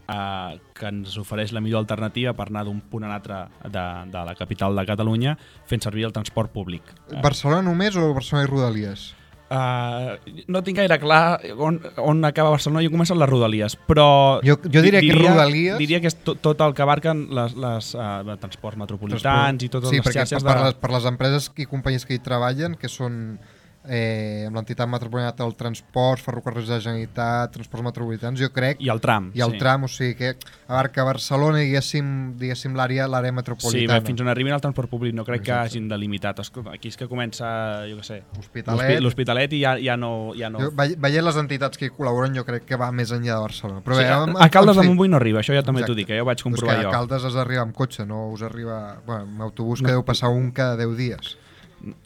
Uh, que ens ofereix la millor alternativa per anar d'un punt a l'altre de, de la capital de Catalunya fent servir el transport públic. Uh, Barcelona només o Barcelona i Rodalies? uh, no tinc gaire clar on, on acaba Barcelona i on comencen les Rodalies, però Jo, jo diria, di- que Rodalies... diria que és tot, tot el que abarquen les, les uh, transports metropolitans transport- i totes sí, les perquè xarxes per, de... les, per les empreses i companyies que hi treballen, que són eh, amb l'entitat metropolitana del transport, ferrocarrils de la Generalitat, transports metropolitans, jo crec, I el tram. i el sí. tram, o sigui que abarca Barcelona i diguéssim, diguéssim l'àrea l'àrea Sí, metropolitana. bé, fins on arribin al transport públic no crec que Exacte. hagin delimitat. Escolta, aquí és que comença, jo què sé, L'Hospitalet. l'hospi- l'Hospitalet i ja, ja no... Ja no... Jo, ve- veient les entitats que hi col·laboren, jo crec que va més enllà de Barcelona. Però Sí, bé, a, en- a Caldes en de fi. Montbui no arriba, això ja també t'ho Exacte. dic, que ja ho vaig Però és comprovar que jo. a Caldes has d'arribar amb cotxe, no us arriba... Bueno, amb autobús No. que deu passar un cada deu dies,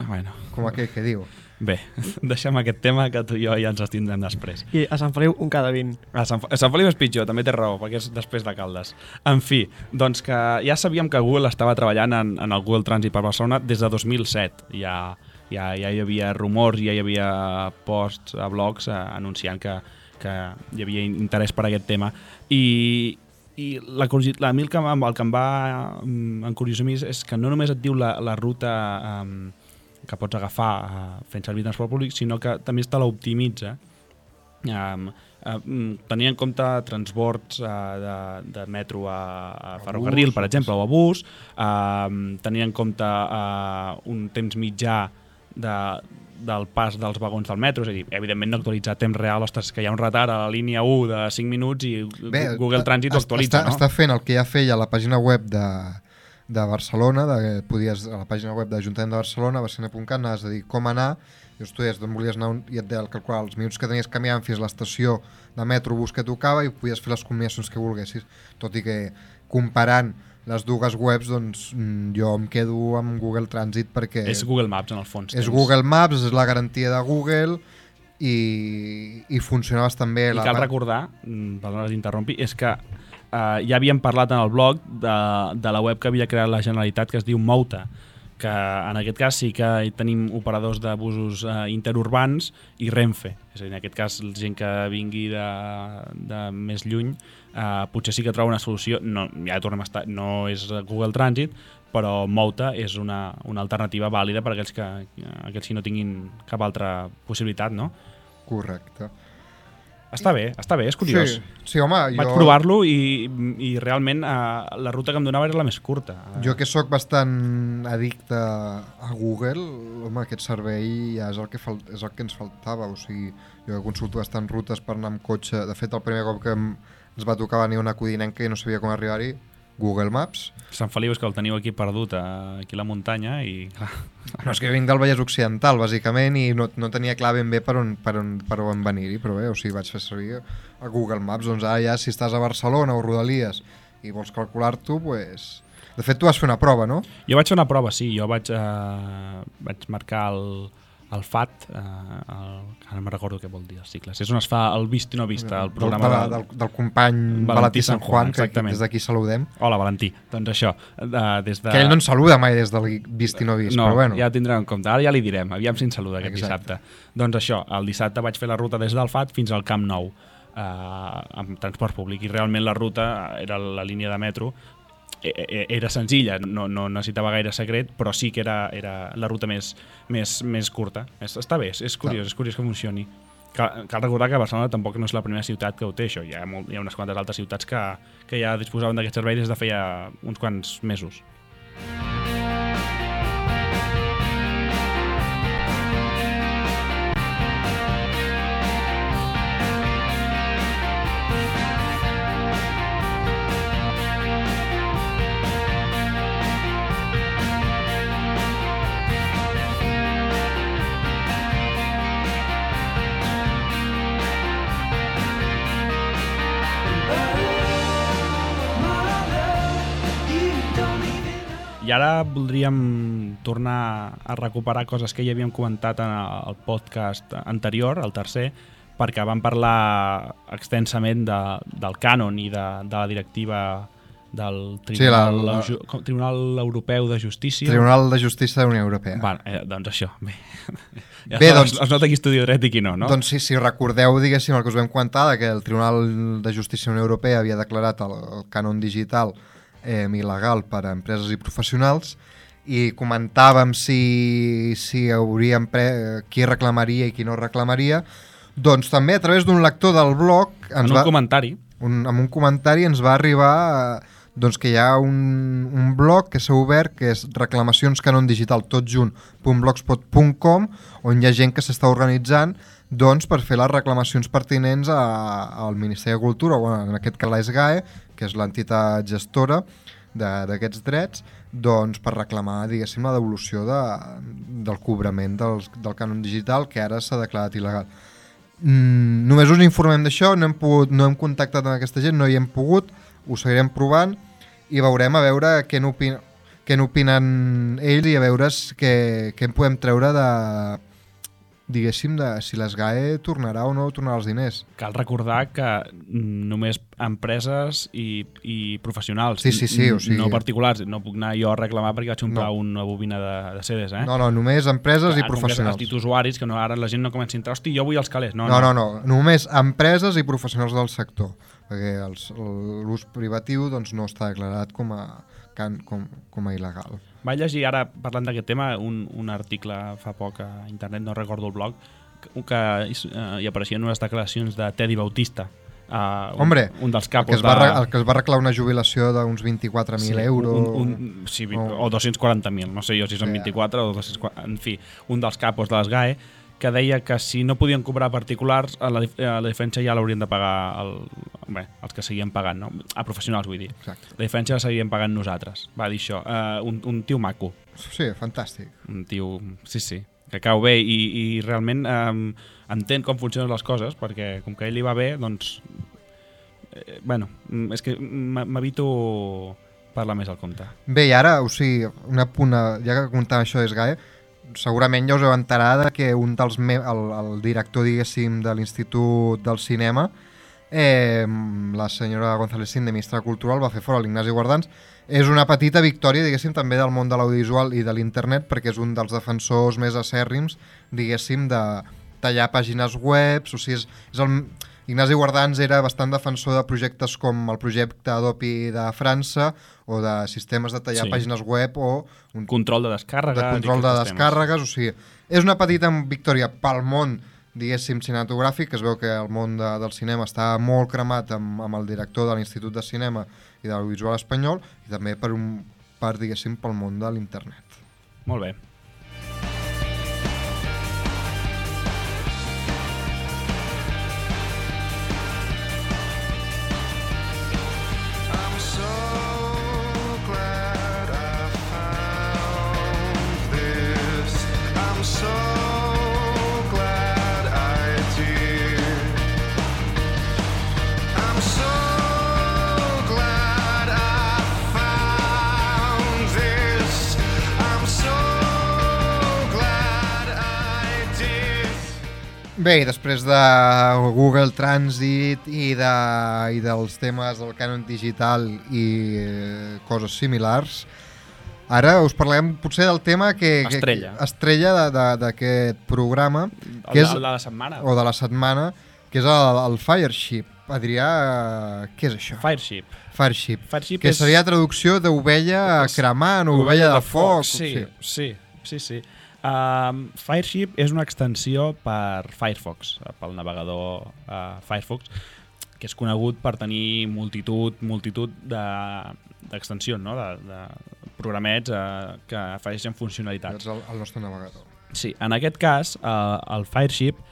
Bueno, com aquell que diu. bé, deixem aquest tema que tu i jo ja ens estindrem després. I a Sant Feliu un cada vint. A Sant, a Sant Feliu és pitjor, també té raó, perquè és després de Caldes. En fi, doncs que ja sabíem que Google estava treballant en, en el Google Transit per Barcelona des de dos mil set. Ja, ja, ja hi havia rumors, ja hi havia posts a blogs eh, anunciant que, que hi havia interès per aquest tema. I, i la, curiosi- la, a mi el que, em- el que em va mm, encuriosir més és que no només et diu la, la ruta um, que pots agafar uh, fent servir transport públic, sinó que també te l'optimitza. Um, uh, tenir en compte transbords uh, de, de metro a, a ferrocarril, bus, per exemple, o a bus, uh, tenir en compte uh, un temps mitjà de, del pas dels vagons del metro, és a dir, evidentment no actualitzar a temps real, ostres, que hi ha un retard a la línia u de cinc minuts i Bé, Google Transit ho est- actualitza, està, no? Està fent el que ja feia a la pàgina web de, de Barcelona, de, podies, a la pàgina web de l'Ajuntament de Barcelona, barcelona punt cat, anaves a dir com anar, i tu deies d'on volies anar un, i et deia el calcular els minuts que tenies caminant fins a l'estació de metro bus que tocava i podies fer les combinacions que volguessis, tot i que comparant les dues webs, doncs mm, jo em quedo amb Google Transit perquè És Google Maps, en el fons. és tens. Google Maps, és la garantia de Google i, i funciona bastant bé. I la, cal recordar, mm, perdona que t'interrompi, és que eh, ja havíem parlat en el blog de, de la web que havia creat la Generalitat que es diu Mouta, que en aquest cas sí que hi tenim operadors de busos eh, interurbans i Renfe. És a dir, en aquest cas, gent que vingui de, de més lluny eh, potser sí que troba una solució. No, ja tornem a estar, no és Google Transit, però Mouta és una, una alternativa vàlida per a aquells que, aquells que no tinguin cap altra possibilitat, no? Correcte. Està bé, està bé, és curiós. Sí, sí home, Vaig jo, provar-lo i, i realment eh, la ruta que em donava era la més curta. jo que sóc bastant addicte a Google, home, aquest servei ja és el que, fal, és el que ens faltava. O sigui, jo que consulto bastant rutes per anar amb cotxe. De fet, el primer cop que em, ens va tocar venir una codinenca i no sabia com arribar-hi, Google Maps. Sant Feliu és que el teniu aquí perdut, eh, aquí a la muntanya, i clar, No, és que jo vinc del Vallès Occidental, bàsicament, i no, no tenia clar ben bé per on, per on, per on venir-hi, però bé, o sigui, vaig fer servir a Google Maps. Doncs ara ja, si estàs a Barcelona o Rodalies i vols calcular-t'ho, pues... De fet, tu vas fer una prova, no? jo vaig fer una prova, sí, jo vaig, eh, vaig marcar el, el F A T, eh, el, ara no me'n recordo què vol dir els cicles, és on es fa el vist i no vist, el programa del, de, del, del company Valentí Valentí San San Juan, Juan, que exactament. des d'aquí saludem. Hola, Valentí. Doncs això, de, des de... Que ell no ens saluda mai des del vist i no vist, no, però bueno. ja ho tindrem en compte. Ara ja li direm, aviam si ens saluda aquest Exacte. dissabte. Doncs això, el dissabte vaig fer la ruta des del F A T fins al Camp Nou, eh, amb transport públic, i realment la ruta era la línia de metro, e- e- era senzilla, no, no necessitava gaire secret, però sí que era, era la ruta més, més, més curta. És, està bé, és, és curiós, és curiós que funcioni. Cal, cal recordar que Barcelona tampoc no és la primera ciutat que ho té, això. Hi ha, molt, hi ha unes quantes altres ciutats que, que ja disposaven d'aquest servei des de feia uns quants mesos. I ara voldríem tornar a recuperar coses que ja havíem comentat en el podcast anterior, el tercer, perquè vam parlar extensament de, del cànon i de, de la directiva del Tribunal, sí, la, la... Tribunal Europeu de Justícia. Tribunal de Justícia de la Unió Europea. Bueno, eh, doncs això, bé. Bé, doncs, es nota qui estudia dret i qui no, no? Doncs sí, si recordeu, diguéssim, el que us vam comentar, que el Tribunal de Justícia de la Unió Europea havia declarat el, el cànon digital eh, il·legal per a empreses i professionals, i comentàvem si, si hauríem pre... qui reclamaria i qui no reclamaria, doncs també a través d'un lector del blog... Ens en un va... comentari. Un, amb un comentari ens va arribar... Eh, doncs que hi ha un, un blog que s'ha obert, que és reclamacionscanondigital tot junt punt blogspot punt com, on hi ha gent que s'està organitzant doncs, per fer les reclamacions pertinents a, al Ministeri de Cultura, o en aquest cas la S G A E, que és l'entitat gestora d'aquests drets, doncs, per reclamar, diguéssim, la devolució de, del cobrament dels, del cànon digital, que ara s'ha declarat il·legal. Mm, només us informem d'això, no hem pogut, no hem contactat amb aquesta gent, no hi hem pogut, ho seguirem provant i veurem a veure què n'opinen, què n'opinen ells i a veure què, què en podem treure de, diguéssim, de si l'S G A E tornarà o no tornarà els diners. Cal recordar que només empreses i, i professionals, sí, sí, sí, o sigui... no particulars, no puc anar jo a reclamar perquè vaig comprar no. una bobina de, de C Ds, eh? No, no, només empreses que, i professionals. Els títols usuaris, que no, ara la gent no comença a entrar, hosti, jo vull els calés. No, no, no, no, no. només empreses i professionals del sector, perquè l'ús privatiu doncs, no està declarat com a, com, com a il·legal. Vaig llegir ara, parlant d'aquest tema, un, un article fa poc a internet, no recordo el blog, que, que uh, hi apareixien unes declaracions de Teddy Bautista, uh, un, Hombre, un dels capos el que, es va, de... el que es va arreglar una jubilació d'uns vint-i-quatre mil sí, euros. Un, un, sí, o... o dos-cents quaranta mil, no sé jo si són vint-i-quatre o dos-cents quaranta, en fi, un dels capos de les G A E, que deia que si no podien cobrar particulars, a la, a la diferència ja l'haurien de pagar el, bé, els que seguien pagant, no? A professionals, vull dir. Exacte. La diferència la seguien pagant nosaltres. Va dir això. Uh, un, un tio maco. Sí, fantàstic. Un tio, sí, sí, que cau bé i, i realment um, entén com funcionen les coses, perquè com que a ell li va bé, doncs... Eh, bueno, és que m'evito parlar més al compte. Bé, i ara, o sigui, una puna, ja que comentàvem això de S G A E, segurament ja us heu enterat que un dels me el, el director, diguéssim, de l'Institut del Cinema, eh, la senyora González Sin, de Ministra Cultural, va fer fora l'Ignasi Guardans. És una petita victòria, diguéssim, també del món de l'audiovisual i de l'internet, perquè és un dels defensors més acèrrims, diguéssim, de tallar pàgines web. O sigui, és, és el... Ignasi Guardans era bastant defensor de projectes com el projecte Adopi de França o de sistemes de tallar sí. pàgines web o... Un control de descàrregues. De control de descàrregues, o sigui, és una petita victòria pel món, diguéssim, cinematogràfic, que es veu que el món de, del cinema està molt cremat amb, amb el director de l'Institut de Cinema i de l'Audiovisual Espanyol, i també per, un, per diguéssim, pel món de l'internet. Molt bé. Bé, i després de Google Transit i, de, i dels temes del cànon digital i eh, coses similars, ara us parlem potser del tema que... Estrella. Que, estrella d'aquest programa. El, que és, el de la setmana. O de la setmana, que és el, el Fireship. Adrià, què és això? Fireship. Fireship. Fireship que és... seria traducció d'ovella cremant o ovella de, de foc. Sí, sí, sí, sí. Uh, Fireship és una extensió per Firefox, pel navegador uh, Firefox, que és conegut per tenir multitud, multitud d'extensions, de, no? de, de programets uh, que afegeixen funcionalitats. És el, el nostre navegador. Sí, en aquest cas, uh, el Fireship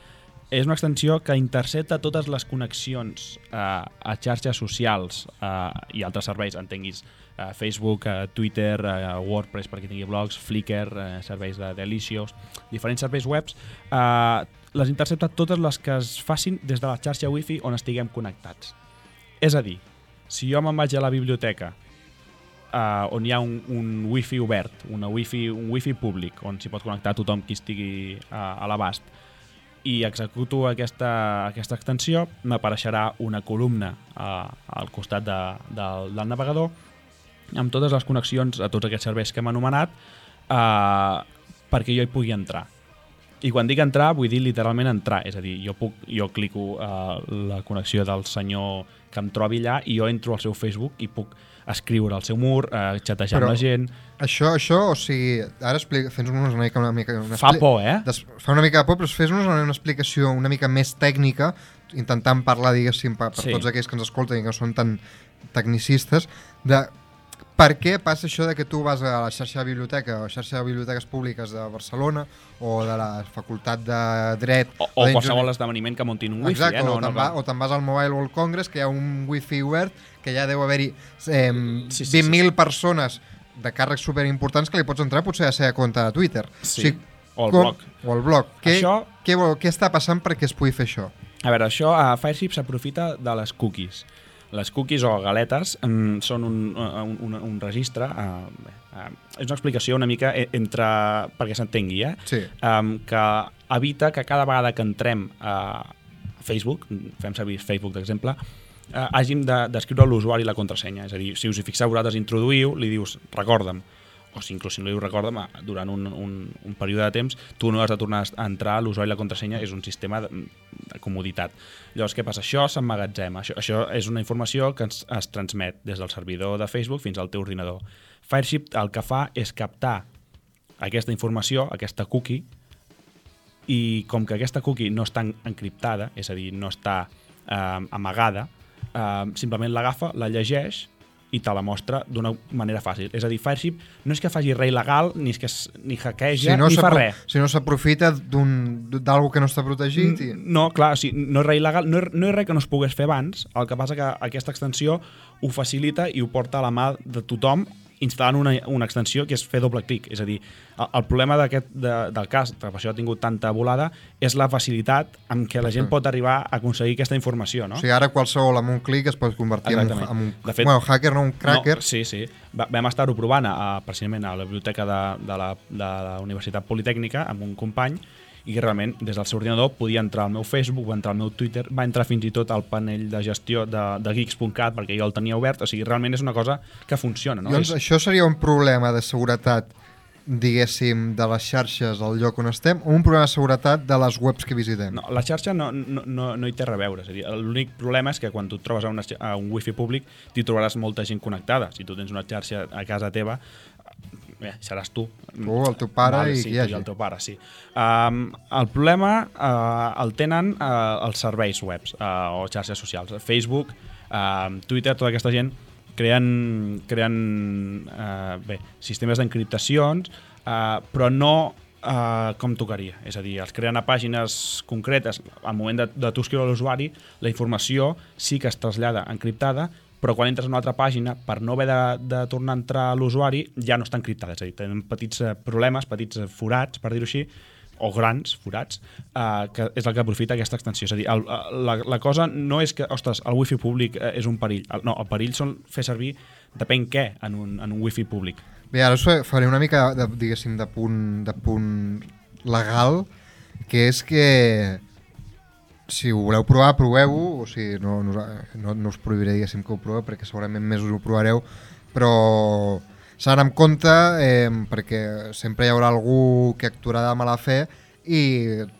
és una extensió que intercepta totes les connexions uh, a xarxes socials uh, i altres serveis, entenguis uh, Facebook, uh, Twitter, uh, WordPress per qui tingui blogs, Flickr, uh, serveis de Delicious, diferents serveis webs, uh, les intercepta totes les que es facin des de la xarxa Wi-Fi on estiguem connectats. És a dir, si jo me'n vaig a la biblioteca uh, on hi ha un, un wifi obert, una wifi, un wifi públic, on s'hi pot connectar tothom qui estigui uh, a l'abast, i executo aquesta, aquesta extensió, m'apareixerà una columna uh, al costat de, de, del navegador amb totes les connexions a tots aquests serveis que hem anomenat uh, perquè jo hi pugui entrar. I quan dic entrar, vull dir literalment entrar, és a dir, jo, puc, jo clico uh, la connexió del senyor que em trobi allà i jo entro al seu Facebook i puc escriure al seu mur, uh, xatejar amb la gent. Això, això, o sigui, ara fes-nos una mica... Una mica una fa por, eh? Des, fa una mica de por, però fes-nos una, una explicació una mica més tècnica, intentant parlar, diguéssim, per, per sí. tots aquells que ens escolten i que no són tan tecnicistes, de per què passa això de que tu vas a la xarxa de biblioteca o xarxa de biblioteques públiques de Barcelona o de la Facultat de Dret... O, o qualsevol esdeveniment que muntin un wifi. Exacte, eh? no, o te'n no, va, no. vas al Mobile World Congress, que hi ha un wifi obert, que ja deu haver-hi eh, sí, sí, vint mil sí. persones de càrrecs superimportants que li pots entrar potser a la seva compte de Twitter. Sí, o, sigui, o el com, blog. O el blog. Què, això... què, què està passant perquè es pugui fer això? A veure, això a Fireship s'aprofita de les cookies. Les cookies o galetes um, són un, un, un, un registre, uh, uh, és una explicació una mica entre, perquè s'entengui, eh? Sí. Um, que evita que cada vegada que entrem a Facebook, fem servir Facebook d'exemple, uh, hàgim d'escriure a l'usuari la contrasenya. És a dir, si us hi fixeu, vosaltres introduïu, li dius recorda'm, o si inclús si no li dius recorda'm, durant un, un, un període de temps, tu no has de tornar a entrar a l'usuari la contrasenya, és un sistema de, de comoditat. Llavors, què passa? Això s'emmagatzema. Això, això és una informació que ens, es transmet des del servidor de Facebook fins al teu ordinador. Fireship el que fa és captar aquesta informació, aquesta cookie, i com que aquesta cookie no està encriptada, és a dir, no està eh, amagada, eh, simplement l'agafa, la llegeix i te la mostra d'una manera fàcil. És a dir, Fireship no és que faci res il·legal, ni és que es, ni hackeja, si no ni fa res. Si no s'aprofita d'alguna que no està protegit. I... No, clar, o sigui, no és res il·legal, no és, no és res que no es pogués fer abans, el que passa que aquesta extensió ho facilita i ho porta a la mà de tothom instal·lant una, una extensió que és fer doble clic. És a dir, el, el problema d'aquest de, del cas, per això ha tingut tanta volada, és la facilitat amb què la gent pot arribar a aconseguir aquesta informació, no? O sigui, ara qualsevol amb un clic es pot convertir en un, en un de fet, bueno, hacker, no un cracker. No, sí, sí. Va, vam estar-ho provant a, precisament a la biblioteca de, de, la, de la Universitat Politècnica amb un company, i que realment des del seu ordinador podia entrar al meu Facebook, va entrar al meu Twitter, va entrar fins i tot al panell de gestió de, de geeks punt cat perquè jo el tenia obert, o sigui, realment és una cosa que funciona, no? Doncs és... això seria un problema de seguretat, diguéssim, de les xarxes al lloc on estem, o un problema de seguretat de les webs que visitem? No, la xarxa no, no, no, no hi té res a veure, és a dir, l'únic problema és que quan tu et trobes a, una, a un wifi públic t'hi trobaràs molta gent connectada. Si tu tens una xarxa a casa teva, bé, seràs tu. Tu, el teu pare vale, i sí, qui hi hagi. el teu pare, sí. Um, el problema uh, el tenen uh, els serveis webs uh, o xarxes socials. Facebook, uh, Twitter, tota aquesta gent creen, creen uh, bé, sistemes d'encriptacions, uh, però no uh, com tocaria. És a dir, els creen a pàgines concretes. Al moment de, de tu escriure a l'usuari, la informació sí que es trasllada encriptada, però quan entres a una altra pàgina, per no haver de, de tornar a entrar a l'usuari, ja no està encriptada. És a dir, tenen petits problemes, petits forats, per dir-ho així, o grans forats, eh, que és el que aprofita aquesta extensió. És a dir, el, la, la cosa no és que, ostres, el wifi públic eh, és un perill. El, no, el perill són fer servir depèn què en un, en un wifi públic. Bé, ara us faré una mica, de, diguéssim, de punt, de punt legal, que és que si ho voleu provar, proveu-ho, o sigui, no, no, no, no us prohibiré, diguéssim, que ho proveu, perquè segurament més us ho provareu, però s'ha d'anar amb compte, eh, perquè sempre hi haurà algú que actuarà de mala fe i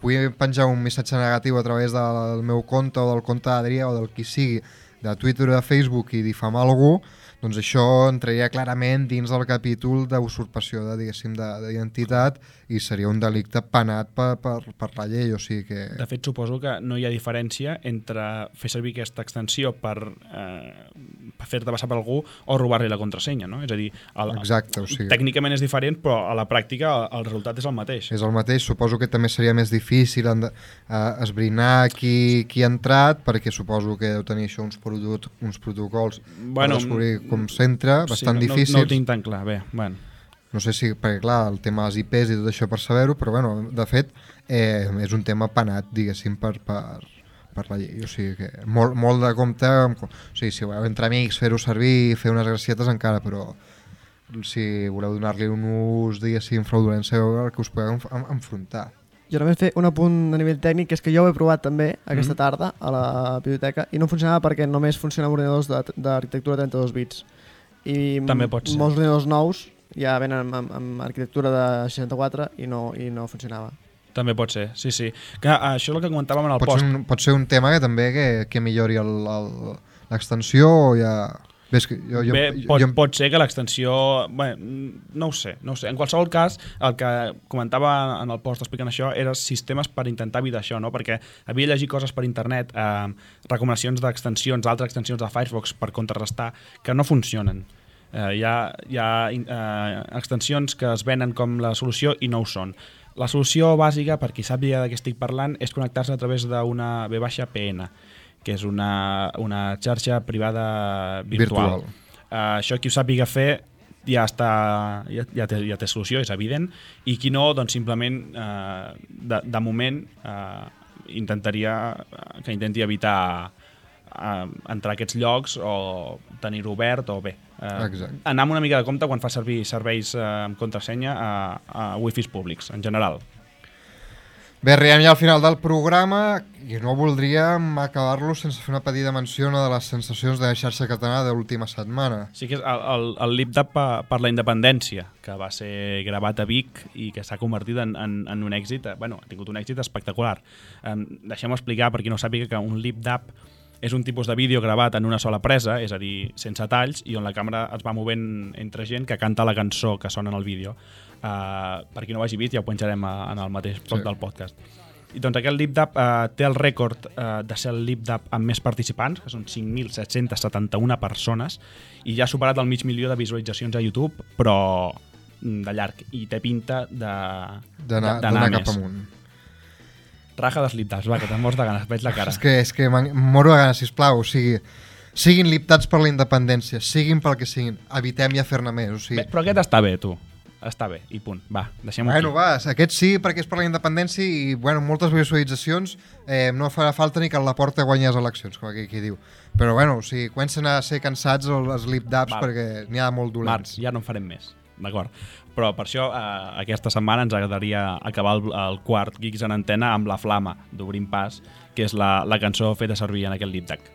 pugui penjar un missatge negatiu a través del meu compte o del compte d'Adrià o del qui sigui, de Twitter o de Facebook, i difamar algú, doncs això entraria clarament dins del capítol d'usurpació de, diguéssim, d'identitat i seria un delicte penat per, per, per la llei, o sigui que... De fet, suposo que no hi ha diferència entre fer servir aquesta extensió per, eh, per fer-te passar per algú o robar-li la contrasenya, no? És a dir, el, Exacte, o sigui... tècnicament és diferent, però a la pràctica el, el resultat és el mateix. És el mateix, suposo que també seria més difícil en, eh, esbrinar qui, qui ha entrat, perquè suposo que deu tenir això uns, produt, uns protocols bueno, per descobrir com s'entra, bastant sí, no, difícils. No, no ho tinc tan clar, bé, bueno. No sé si, perquè clar, el tema dels I Pes i tot això per saber-ho, però bueno, de fet, eh, és un tema penat, diguéssim, per, per, per la llei. O sigui que molt, molt de compte, o sigui, si voleu entre amics, fer-ho servir, fer unes gracietes encara, però si voleu donar-li un ús, diguéssim, fraudulent, sabeu el que us podeu enf enfrontar. Jo només fer un apunt a nivell tècnic, que és que jo ho he provat també aquesta Mm. tarda a la biblioteca i no funcionava perquè només funciona amb ordinadors d'arquitectura de trenta-dos bits. I També pot ser. molts ordinadors nous ja venen amb, amb, amb arquitectura de seixanta-quatre i no, i no funcionava. També pot ser, sí, sí. Que, uh, això és el que comentàvem en el Pot post. ser, un, pot ser un tema que també que, que millori l'extensió o ja... Ves que jo, jo, Bé, jo, pot, jo, pot ser que l'extensió... Bé, no ho sé, no ho sé. En qualsevol cas, el que comentava en el post explicant això era sistemes per intentar evitar això, no? Perquè havia llegit coses per internet, eh, recomanacions d'extensions, altres extensions de Firefox per contrarrestar, que no funcionen. Eh, hi ha, hi ha eh, extensions que es venen com la solució i no ho són. La solució bàsica, per qui sàpiga de què estic parlant, és connectar-se a través d'una V P N, que és una, una xarxa privada virtual. virtual. Uh, això qui ho sàpiga fer ja, està, ja, ja, té, ja té solució, és evident, i qui no, doncs simplement uh, de, de moment uh, intentaria uh, que intenti evitar uh, entrar a aquests llocs o tenir-ho obert o bé. Uh, Exacte. anar amb una mica de compte quan fa servir serveis uh, amb contrasenya a, a wifis públics, en general. Bé, arribem ja al final del programa i no voldríem acabar-lo sense fer una petita menció a una de les sensacions de la xarxa catalana de l'última setmana. Sí que és el, el, el LibDAP per, per la independència, que va ser gravat a Vic i que s'ha convertit en, en, en un èxit, bueno, ha tingut un èxit espectacular. Um, Deixem explicar, per qui no sàpiga, que un LibDAP és un tipus de vídeo gravat en una sola presa, és a dir, sense talls, i on la càmera es va movent entre gent que canta la cançó que sona en el vídeo. Uh, per qui no ho hagi vist, ja ho penjarem a, en el mateix bloc Sí. del podcast. I doncs aquest LibDAP uh, té el rècord uh, de ser el LibDAP amb més participants, que són cinc mil set-cents setanta-una persones, i ja ha superat el mig milió de visualitzacions a YouTube, però de llarg, i té pinta de D'anar d'anar cap més. amunt. Raja dels LibDAPs, va, que te'n mors de ganes, veig la cara. És que, és que em moro de ganes, sisplau, o sigui, siguin liptats per la independència, siguin pel que siguin, evitem ja fer-ne més, o sigui... Bé, però aquest està bé, tu. Està bé, i punt. Va, deixem-ho Bueno, aquí. va, aquest sí, perquè és per la independència i, bueno, moltes visualitzacions, eh, no farà falta ni que la porta guanyi les eleccions, com aquí qui diu. Però, bueno, o sigui, comencen a ser cansats els lip-daps Val. perquè n'hi ha molt Marc, dolents. ja no en farem més, d'acord. Però per això eh, aquesta setmana ens agradaria acabar el, el quart Geeks en Antena amb La Flama, d'Obrim Pas, que és la, la cançó feta servir en aquest LibDAP.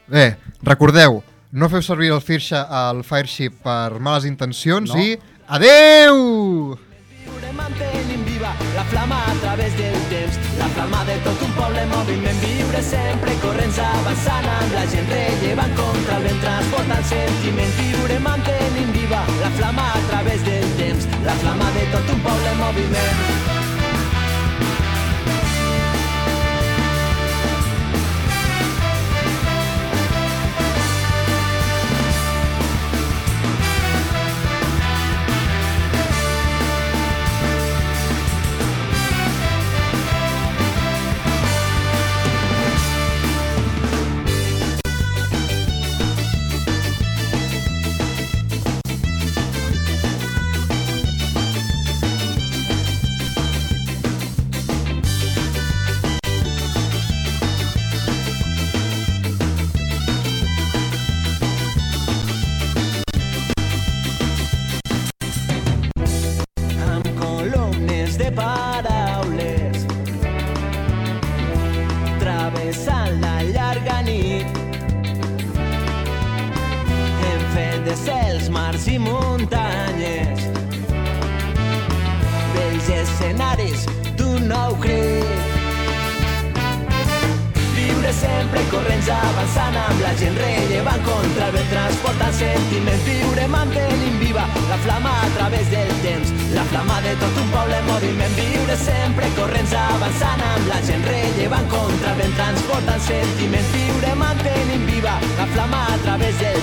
Bé, recordeu, no feu servir el Firsha al Fireship per males intencions No. i... Adeu! Viure mantenim viva la flama a través del temps, la flama de tot un poble en moviment, viure sempre corrents avançant amb la gent rellevant contra el vent, transportant sentiment, viure mantenim viva la flama a través del temps, la flama de tot un poble en moviment. Amb columnes de paraules travessant la llarga nit, hem fet de cels, mars i muntanyes vells escenaris d'un nou crit. Viure sempre corrents avançant amb la gent rellevant contra el vent, transportant sentiment, viure mantenint viva la flama a través del temps, la flama de tot un poble en moviment, viure sempre corrents avançant amb la gent rellevant contra el vent, transportant sentiment, viure mantenint viva la flama a través del